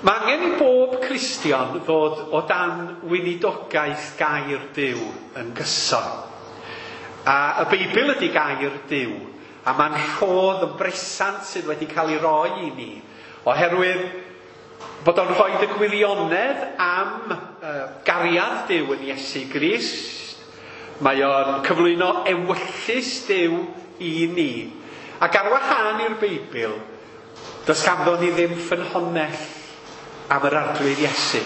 Mae angen i bob Cristion ddod o dan weinidogaeth gair Duw yn gyson. A y Beibl ydy gair Duw, a mae'n rhodd yn bresant sydd wedi cael ei roi i ni, oherwydd bod o'n rhoi y gwirionedd am gariad Duw yn Iesu Grist. Mae o'n cyflwyno ewyllys Duw i ni. Ac ar wahân i'r Beibl, does ganddo ni ddim ffynhonnell am yr Arglwydd Iesu.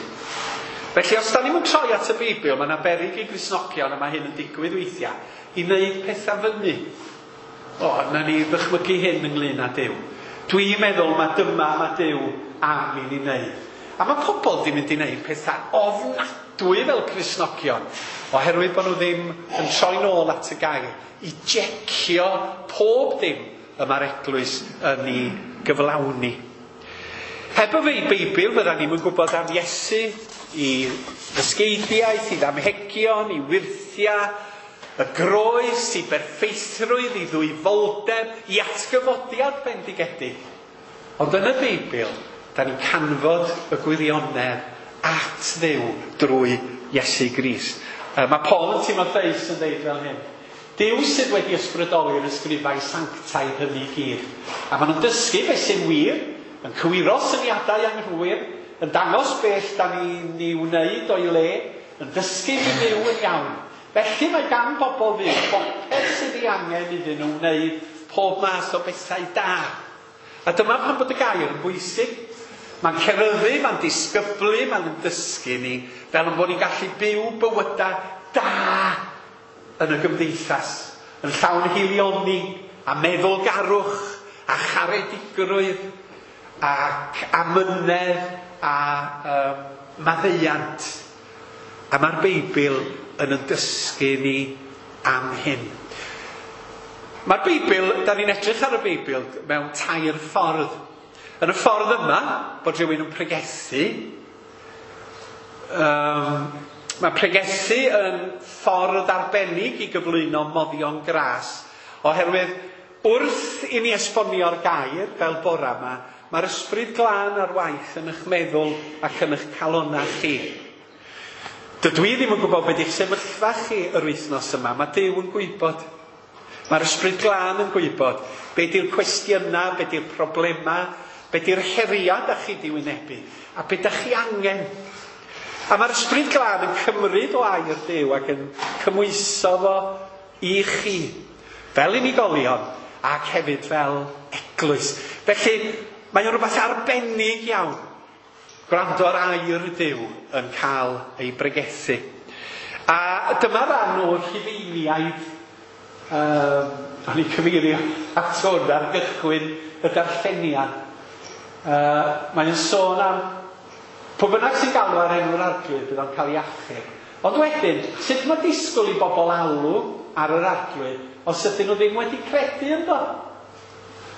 Felly, os da ni'n troi at y Beibl, mae yna beryg i Gristnogion, a mae hyn yn digwydd weithiau, i wneud pethau fyny. O, na ni ddychmygu hyn ynglyn â Duw. Dwi'n meddwl mae dyma mae Duw am i ni wneud. A mae pobl di mynd i wneud pethau ofnadwy fel Cristnogion, oherwydd bod nhw ddim yn troi nôl at y gair i jecio pob dim y mae'r eglwys yn ei gyflawni. Heb y Beibl, fydda ni'n gwybod am Iesu, i ddysgeidiaeth, i ddamhegion, i wyrthiau, y groes, i berffeithrwydd, i ddwyfoldeb, i atgyfodiad bendigedig. Ond yn y Beibl, da ni'n canfod y gwirionedd at Dduw drwy Iesu Grist. Mae Paul yn Timotheus yn dweud fel hyn. Duw sydd wedi ysbrydoli'r ysgrifau sanctaidd hynny i gyd. A maen nhw'n dysgu beth sy'n wir, yn cywiro syniadau anghywir, yn dangos beth da ni'n ei wneud o'i le, yn dysgu ni fyw yn iawn. Felly mae gan bobl fyw bopeth sydd ei angen iddyn nhw wneud pob math o bethau da. A dyma pam bod y gair yn bwysig. Mae'n ceryddu, mae'n disgyblu, mae'n dysgu ni, fel yn bod ni'n gallu byw bywydau da yn y gymdeithas, yn llawn hilioni a meddylgarwch a charedigrwydd ac amynedd a maddeuant. A mae'r Beibl yn dysgu ni am hyn. Mae'r Beibl, da ni'n edrych ar y Beibl mewn tair ffordd. Yn y ffordd yma, bod rhywun yn pregethu, mae pregethu yn ffordd arbennig i gyflwyno moddion gras, oherwydd wrth i ni esbonio'r gair fel bora yma, mae'r ysbryd glân ar waith yn eich meddwl ac yn eich calonnau chi. Dydw i ddim yn gwybod beth yw'ch sefyllfa chi yr wythnos yma, mae Duw yn gwybod. Mae'r ysbryd glân yn gwybod beth yw'r cwestiynau, beth yw'r problemau, beth yw'r heriau da chi di wynebu, a beth da chi angen. A mae'r ysbryd glân yn cymryd o air Duw ac yn cymhwyso fo i chi, fel unigolion ac hefyd fel eglwys. Felly, mae o'n rhywbeth arbennig iawn gwrando ar air Duw yn cael ei bregethu. A dyma ran o'r Rhufeiniaid. O'n i'n cyfeirio at hwn ar gychwyn y darlleniad. Mae'n sôn am pwy bynnag sy'n galw ar enw'r Arglwydd bydd o'n cael ei achub. Ond wedyn, sut mae disgwyl i bobl alw ar yr Arglwydd os ydyn nhw ddim wedi credu ynddo?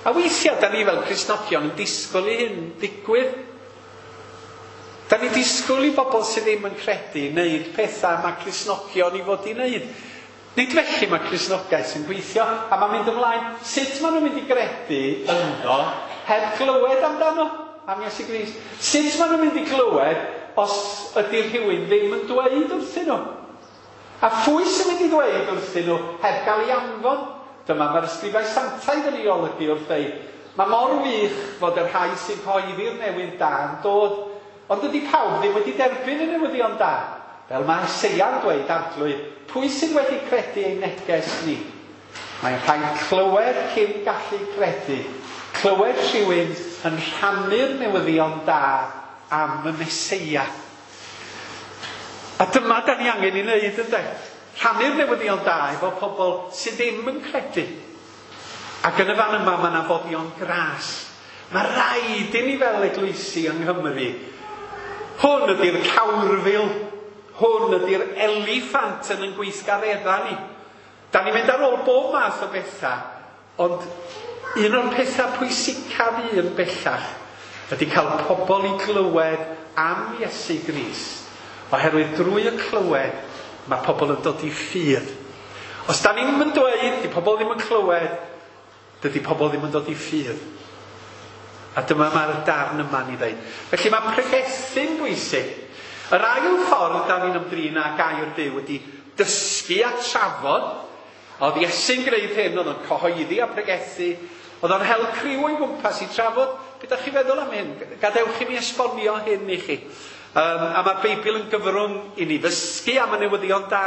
A weithiau, da ni fel Cristnogion yn disgwyl i hyn ddigwydd. Da ni'n disgwyl i bobl sydd ddim yn credu wneud pethau mae Cristnogion i fod i wneud. Nid felly mae Cristnogaeth yn gweithio, a mae'n mynd ymlaen. Sut maen nhw'n mynd i gredu ynddo heb glywed amdano, am Iesu Grist? Sut maen nhw'n mynd i glywed os ydy rhywun ddim yn dweud wrthyn nhw? A phwy sy'n mynd i ddweud wrthyn nhw heb gael ei anfon? Dyma mae'r ysgrifau santaidd yn ei olygu wrth ddeud, mae mor wych fod y rhai sy'n cyhoeddi'r newydd da yn dod, ond dydy pawb ddim wedi derbyn y newyddion da. Fel mae Eseia'n dweud, Arglwydd, pwy sydd wedi credu ein neges ni? Mae'n rhaid clywed cyn gallu credu. Clywed rhywun yn rhannu'r newyddion da am y Meseia. A dyma da ni angen i wneud, ynde? Rhannu'r newyddion da efo pobl sydd ddim yn credu. Ac yn y fan yma mae yna foddion gras. Mae rhaid i ni fel eglwysi yng Nghymru. Hwn ydy'r cawrfil. Hwn ydy'r eliffant yn ein gweithgareddau ni. Da ni'n mynd ar ôl bob math o bethau, ond un o'r pethau pwysicaf un bellach ydy cael pobl i glywed am Iesu Grist. Oherwydd drwy y clywed, mae pobl yn dod i ffydd. Os da ni'n mynd dweud, di pobl ddim yn clywed, dydy pobl ddim yn dod i ffydd. A dyma mae'r darn yma'n ei ddeud. Felly mae pregethu'n bwysig. Yr ail ffordd da ni'n ymdrin â gair Duw ydy dysgu a trafod. Oedd Iesu'n gwneud hyn, oedd o'n cyhoeddi a pregethu. Oedd o'n hel criw o'i gwmpas i trafod. Be da chi feddwl am hyn? Gadewch i mi esbonio hyn i chi. A mae'r Beibl yn gyfrwng i ni ddysgu am y newyddion da,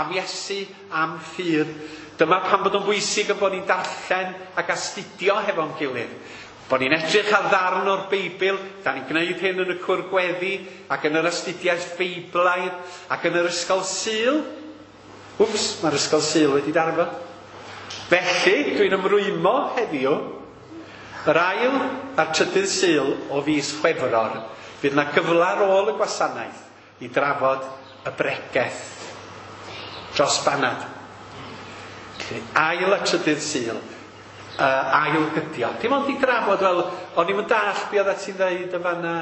am Iesu, am ffydd. Dyma pam bod o'n bwysig yn bod ni'n darllen ac astudio hefo'n gilydd. Bod ni'n edrych ar ddarn o'r Beibl, da ni'n gwneud hyn yn y cwr gweddi, ac yn yr astudiaeth Beiblaidd, ac yn yr ysgol Sul. Wps, mae'r ysgol Sul wedi darfod. Felly, dwi'n ymrwymo heddiw, yr ail a'r trydydd Sul o fis Chwefror, fydd yna gyfle ar ôl y gwasanaeth i drafod y bregeth dros banad. Felly, ail a trydydd Sul, ail gydio. Dim ond i drafod, wel, o'n i'm yn dallt be oeddet ti'n ddeud yn fanna,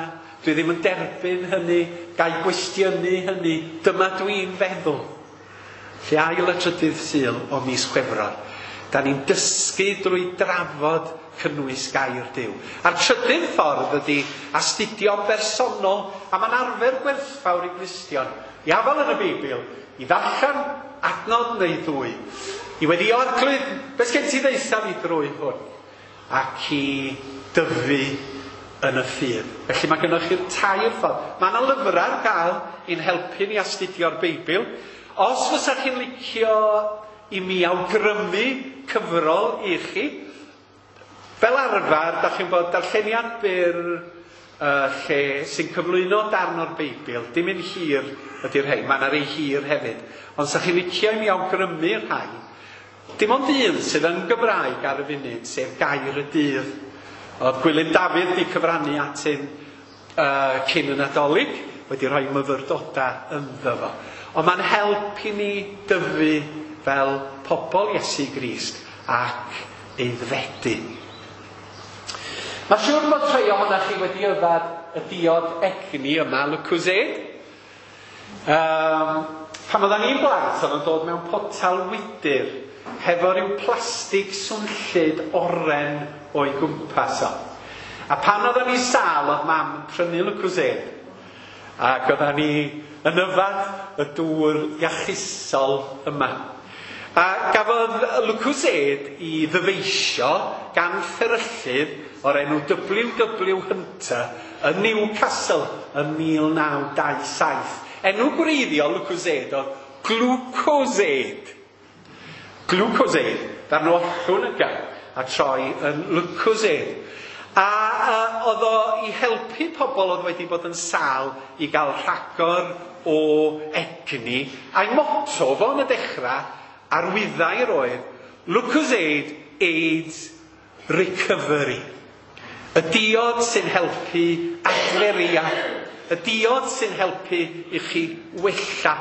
dwi ddim yn derbyn hynny, gai gwestiynu hynny, dyma dwi'n feddwl. Felly ail a trydydd Sul o mis Chwefror. Da ni'n dysgu drwy drafod cynnwys gair Duw. A'r trydydd ffordd ydy astudio'n bersonol, a mae'n arfer gwerthfawr i Gristion, i afael yn y Beibl, i ddarllen adnod neu ddwy, i weddi Arglwydd, beth sgen ti ddeutha fi drwy hwn? Ac i dyfu yn y ffydd. Felly mae gennych chi'r tair ffordd. Mae yna lyfrau ar gael i'n helpu ni astudio'r Beibl. Os fysa chi'n licio i mi awgrymu cyfrol i chi, fel arfer, da chi'n bod darlleniad byr lle sy'n cyflwyno darn o'r Beibl, dim un hir ydy'r rhai, mae yna rei hir hefyd. Ond sa chi'n licio i mi awgrymu rhai, dim ond un sydd yn Gymraeg ar y funud, sef Gair y Dydd. Oedd Gwilym Dafydd wedi cyfrannu at hyn cyn y Nadolig, wedi rhoi myfyrdodau ynddo fo. Ond mae'n help i ni dyfu fel pobl Iesu Grist ac aeddfedu. Mae'n siŵr bod rhai ohonoch chi wedi yfad y diod egni yma, Lucozade. Pan oeddan ni'n blant, oedd o'n dod mewn potel wydr hefo rhyw plastig swnllyd oren o'i gwmpas o. A pan oeddan ni sâl, oedd mam yn prynu Lucozade. Ac oeddan ni yn yfad y dŵr iachusol yma. A gafodd Lucozade i ddyfeisio gan fferyllydd o'r enw W.W. Hunter yn Newcastle yn 1927. Enw gwreiddiol Lucozade oedd Glucosade. Glucosade, ddarn o ollwng y gan, a troi yn Lucozade. A oedd o i helpu pobl oedd wedi bod yn sâl i gael rhagor o egni. A'i motto fo yn y dechrau, arwyddau'r oedd, Lucozade aids recovery. Y diod sy'n helpu adferiad. Y diod sy'n helpu i chi wella.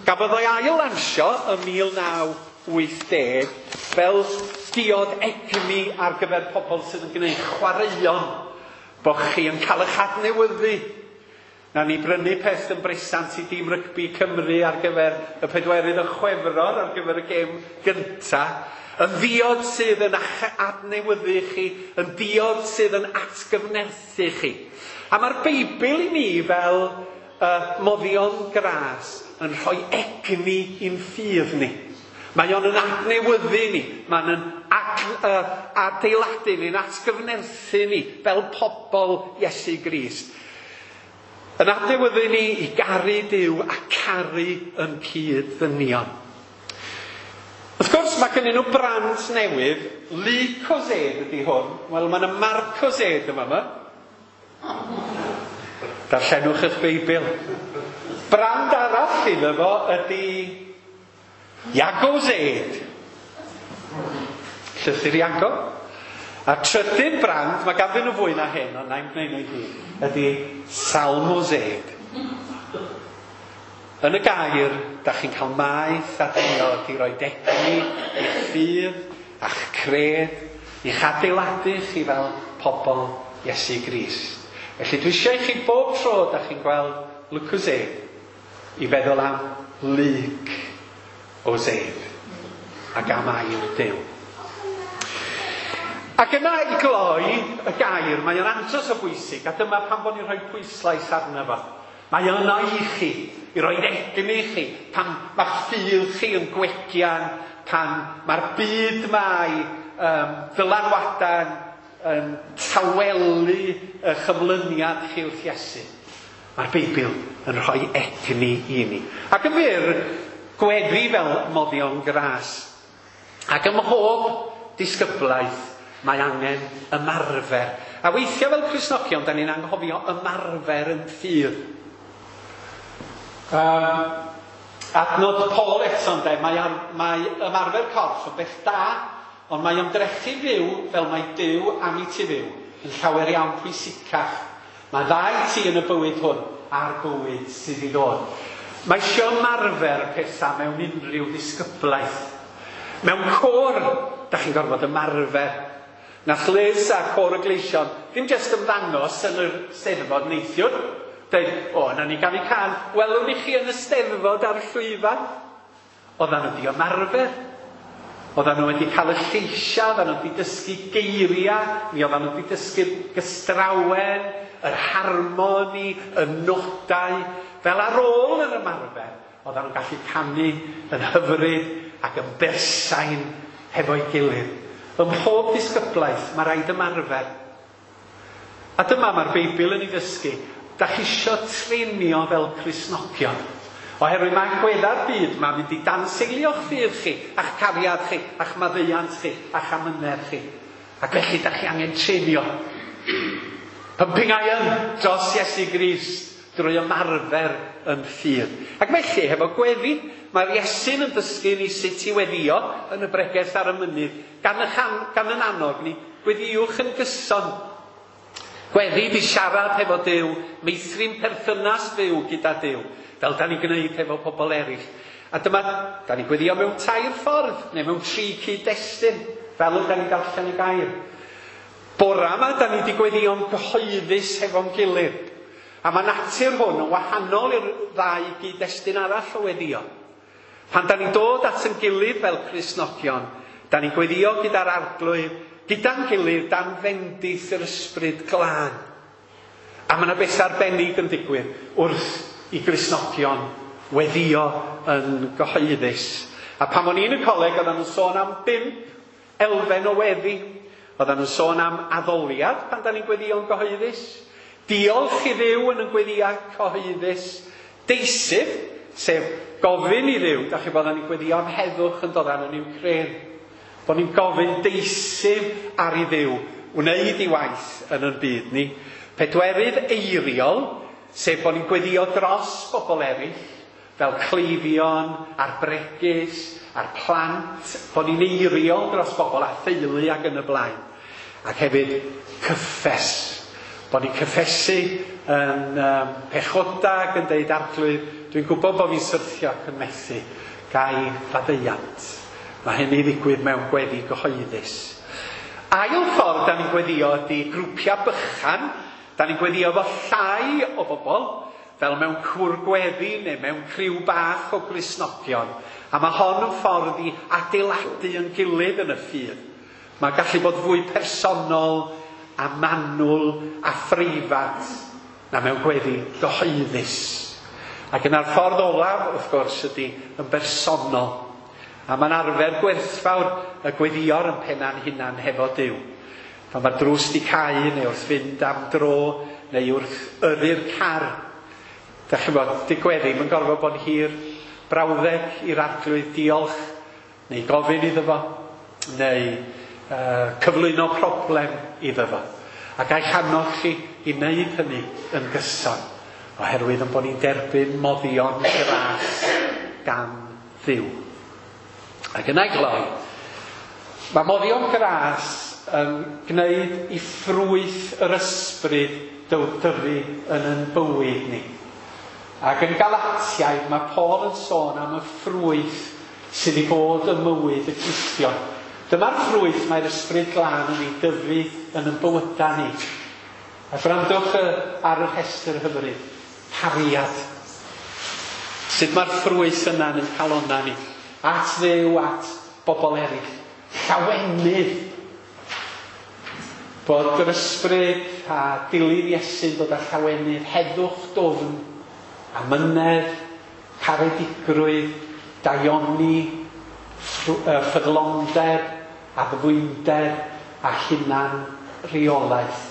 Gafodd o'i ail lansio ym 1980 fel diod egni ar gyfer pobl sydd yn gwneud chwaraeon, bod chi yn cael eich adnewyddu. Na ni brynu peth yn bresant i dîm rygbi Cymru ar gyfer y 4 Chwefror, ar gyfer y gêm gynta. Yn ddiod sydd yn adnewyddu chi, yn diod sydd yn atgyfnerthu chi. A mae'r Beibl i ni fel moddion gras yn rhoi egni i'n ffydd ni. Mae o'n yn adnewyddu ni, mae'n yn adeiladu ni'n atgyfnerthu ni fel pobl Iesu Grist. Yn adnewyddu ni i garu Duw a caru yn cyd-ddynion. Wrth gwrs, mae gennyn nhw brand newydd, Lucozade ydy hwn. Wel, mae yna Marcozade yma yma. Darllenwch eich Beibl. Brand arall iddo fo ydy Iagozade. Llythyr Iago. A trydydd brand, mae ganddyn nhw fwy na hyn, ond na'n gwneud nhw i gyd, ydy Salmozade. Yn y gair, da chi'n cael maeth a diod i roi egni i'ch ffydd a'ch cred, i'ch adeiladu chi fel pobl Iesu Grist. Felly dwi eisiau i chi bob tro da chi'n gweld Lucozade i feddwl am Luc o Zade ac am air Duw. Ac yna i gloi y gair, mae o'n andros o bwysig, a dyma pan bod ni'n rhoi pwyslais arno fo. Mae yno i chi, i roi egni i chi, pan mae'ch ffydd chi yn gwegian, pan mae'r byd mae dylanwadau'n yn tawelu y chyflyniad chi wrth Iesu. Mae'r Beibl yn rhoi egni i ni. Ac yn fyr, gweddi fel moddion gras. Ac ym mhob disgyblaeth mae angen ymarfer. A weithiau fel Cristnogion, da ni'n anghofio ymarfer yn ffydd. Adnod Paul eto, ynde, mae ymarfer corff yn beth da, ond mae ymdrechu fyw fel mae Duw am i ti fyw yn llawer iawn pwysicach. Mae dda i ti yn y bywyd hwn a'r bywyd sydd i ddod. Mae eisiau ymarfer pethau mewn unrhyw ddisgyblaeth. Mewn côr, da chi'n gorfod ymarfer. Nath Liz a Côr y Gleision ddim jyst ymddangos yn yr Steddfod neithiwr. Deud, o, na ni ganu cân, welwn i chi yn y Steddfod ar y llwyfan. Oedden nhw wedi ymarfer. Oedden nhw wedi cael y lleisiau, oedden nhw wedi dysgu geiriau, mi oedden nhw wedi dysgu'r gystrawen, yr harmoni, y nodau. Fel ar ôl yr ymarfer, oedden nhw'n gallu canu yn hyfryd ac yn bersain hefo'i gilydd. Ym mhob disgyblaeth, mae rhaid ymarfer. A dyma mae'r Beibl yn ei ddysgu. Da chi isio treinio fel Cristnogion. Oherwydd mae agwedda'r byd mae'n mynd i danseilio'ch ffydd chi, a'ch cariad chi, a'ch maddeuant chi, a'ch amynedd chi. Ac felly da chi angen treinio. Pumping iron dros Iesu Grist drwy ymarfer yn ffydd. Ac felly, hefo gweddi, mae'r Iesu'n yn dysgu ni sut i weddio yn y bregeth ar y mynydd, gan yn annog ni, gweddiwch yn gyson. Gweddi di siarad hefo Duw, meithrin perthynas fyw gyda Duw, fel da ni'n gwneud hefo pobl eraill. A dyma, da ni'n gweddio mewn 3 ffordd, neu mewn 3 cyd-destun, fel da ni'n darllen y gair. Bora yma, da ni wedi gweddio'n gyhoeddus hefo'n gilydd. A mae natur hwn yn wahanol i'r ddau gyd-destun arall o weddio. Pan da ni'n dod at yn gilydd fel Cristnogion, da ni'n gweddio gyda'r Arglwydd, gyda'n gilydd dan fendith yr Ysbryd Glân. A mae yna beth arbennig yn digwydd wrth i Gristnogion weddio yn gyhoeddus. A pan o'n i'n y coleg, oedden nhw'n sôn am 5 elfen o weddi. Oedden nhw'n sôn am addoliad pan da ni'n gweddio'n gyhoeddus. Diolch i Dduw yn y gweddiau cyhoeddus. Deisyf, sef gofyn i Dduw, da chi bod ni'n gweddio am heddwch yn dod arno ni'n Wcráin. Bod ni'n gofyn deisyf ar i Dduw, wneud i waith yn ein byd ni. 4 eiriol, sef bod ni'n gweddio dros bobl eraill, fel cleifion, a'r bregus, a'r plant, bod ni'n eiriol dros bobl a theulu ac yn y blaen. Ac hefyd cyffes. Bod ni'n cyffesu yn pechoda ac yn deud Arglwydd, dwi'n gwybod bod fi'n syrthio ac yn methu, gai faddeuant. Mae hynny ddigwydd mewn gweddi gyhoeddus. Ail ffordd da ni'n gweddio ydy grwpiau bychan. Da ni'n gweddio efo llai o bobl. fel mewn cwr gweddi neu mewn criw bach o Gristnogion. A mae hon yn ffordd i adeiladu yn gilydd yn y ffydd. Mae'n gallu bod fwy personol a manwl a phreifat na mewn gweddi gyhoeddus. Ac yna'r ffordd olaf, wrth gwrs, ydy yn bersonol. A mae'n arfer gwerthfawr y gweddïo'r yn penna'n hunan hefo Duw. Pan mae'r drws di cau neu wrth fynd am dro neu wrth yrru'r car. Dach chi'n gwybod, di gweddi, mae'n gorfod bod yn hir brawddeg i'r Arglwydd diolch neu gofyn iddo fo neu cyflwyno problem iddo fo. A ga i annog chi i wneud hynny yn gyson, oherwydd yn bod ni'n derbyn moddion gras gan Dduw. Ac yna i gloi, mae moddion gras yn gwneud i ffrwyth yr ysbryd dyfu yn ein bywyd ni. Ac yn Galatiaid mae Paul yn sôn am y ffrwyth sydd i fod ym mywyd y Cristion. Dyma'r ffrwyth mae'r ysbryd glân yn ei dyfu yn ein bywydau ni. A gwrandwch ar y rhestr hyfryd. Cariad. Sut mae'r ffrwyth yna yn ein calonnau ni? At Dduw, at bobl eraill. Llawenydd. Bod yr ysbryd a dilyn Iesu'n dod â llawenydd, heddwch dwfn, amynedd, caredigrwydd, daioni, ffyddlondeb, addfwynder a hunan reolaeth.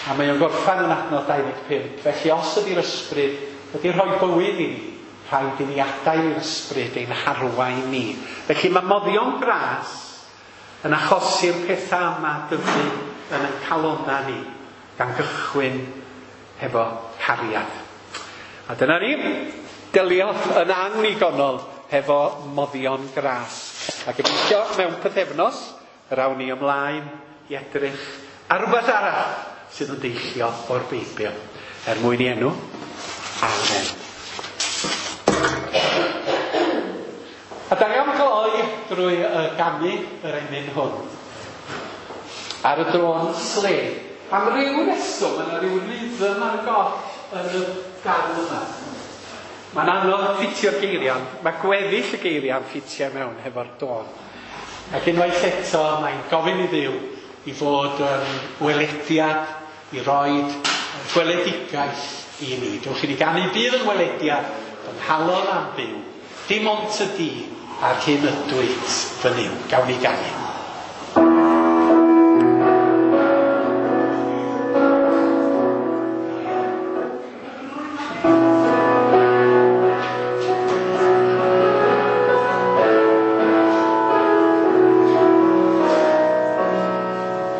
A mae o'n gorffan yn adnod 25. Felly os ydy'r ysbryd wedi rhoi bywyd i ni, rhaid i ni adael i'r ysbryd ein harwain ni. Felly mae moddion gras yn achosi'r pethau yma dyfu yn ein calonnau ni, gan gychwyn hefo cariad. A dyna ni, delio yn annigonol hefo moddion gras. A gobeithio mewn pythefnos, yr awn ni ymlaen i edrych ar rhywbeth arall sydd yn deillio o'r Beibl. Er mwyn i enw, amen. A da ni am gloi drwy ganu yr emyn hwn. Ar y drôn slei. Am ryw reswm, mae yna ryw rhythm ar y goll yn y darn yma. Mae'n anodd ffitio'r geiriau, mae gweddill y geiriau'n ffitio mewn hefo'r dôn. Ac unwaith eto, mae'n gofyn i Dduw i fod yn welediad, i roed gweledigaeth i ni. Dewch i ni ganu bydd yn welediad fy nghalon am fyw. Dim ond ty di a'r hyn ydwyt fy Nuw. Gawn ni ganu.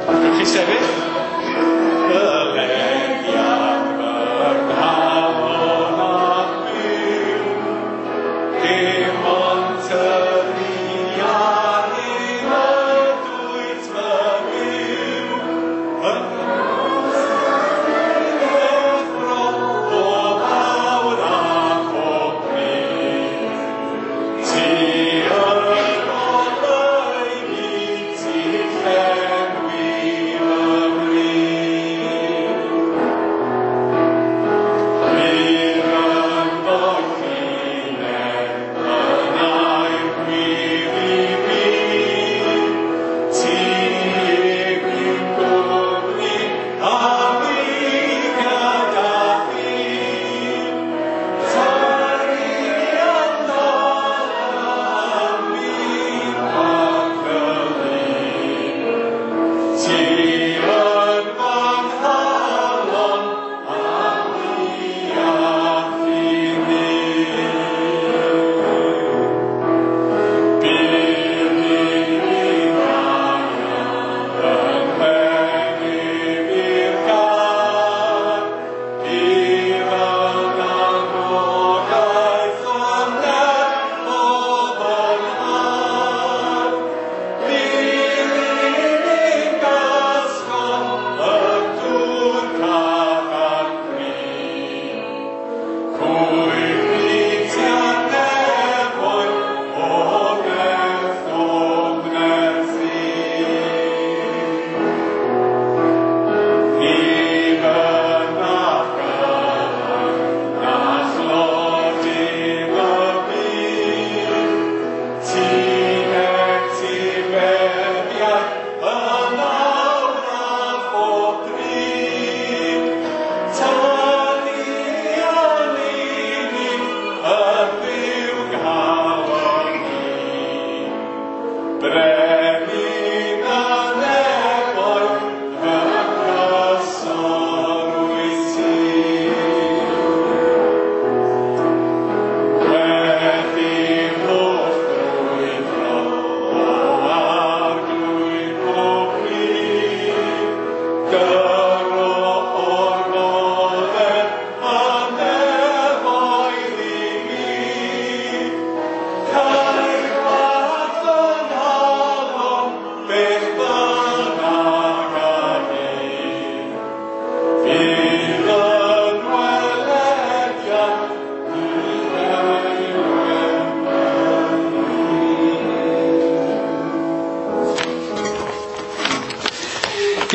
Dewch i sefyll. Welediad fy nghalon am fyw, dim ond ty di a'r hyn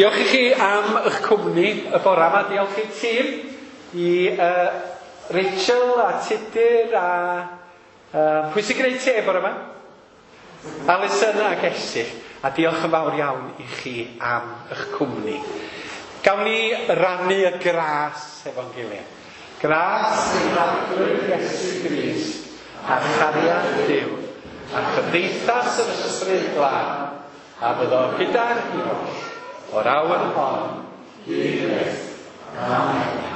Diolch i chi am eich cwmni y bore yma. Diolch i'r tîm, i Rachel a Tudur a... pwy sy'n gwneud te bore yma? Alison ac Esyll. A diolch yn fawr iawn i chi am eich cwmni. Gawn ni rannu y gras efo'n gilydd. Gras ein Arglwydd Iesu Grist a chariad Duw a chymdeithas yr Ysbryd Glân a fyddo gyda'r ni oll o'r awr hon hyd byth. Amen.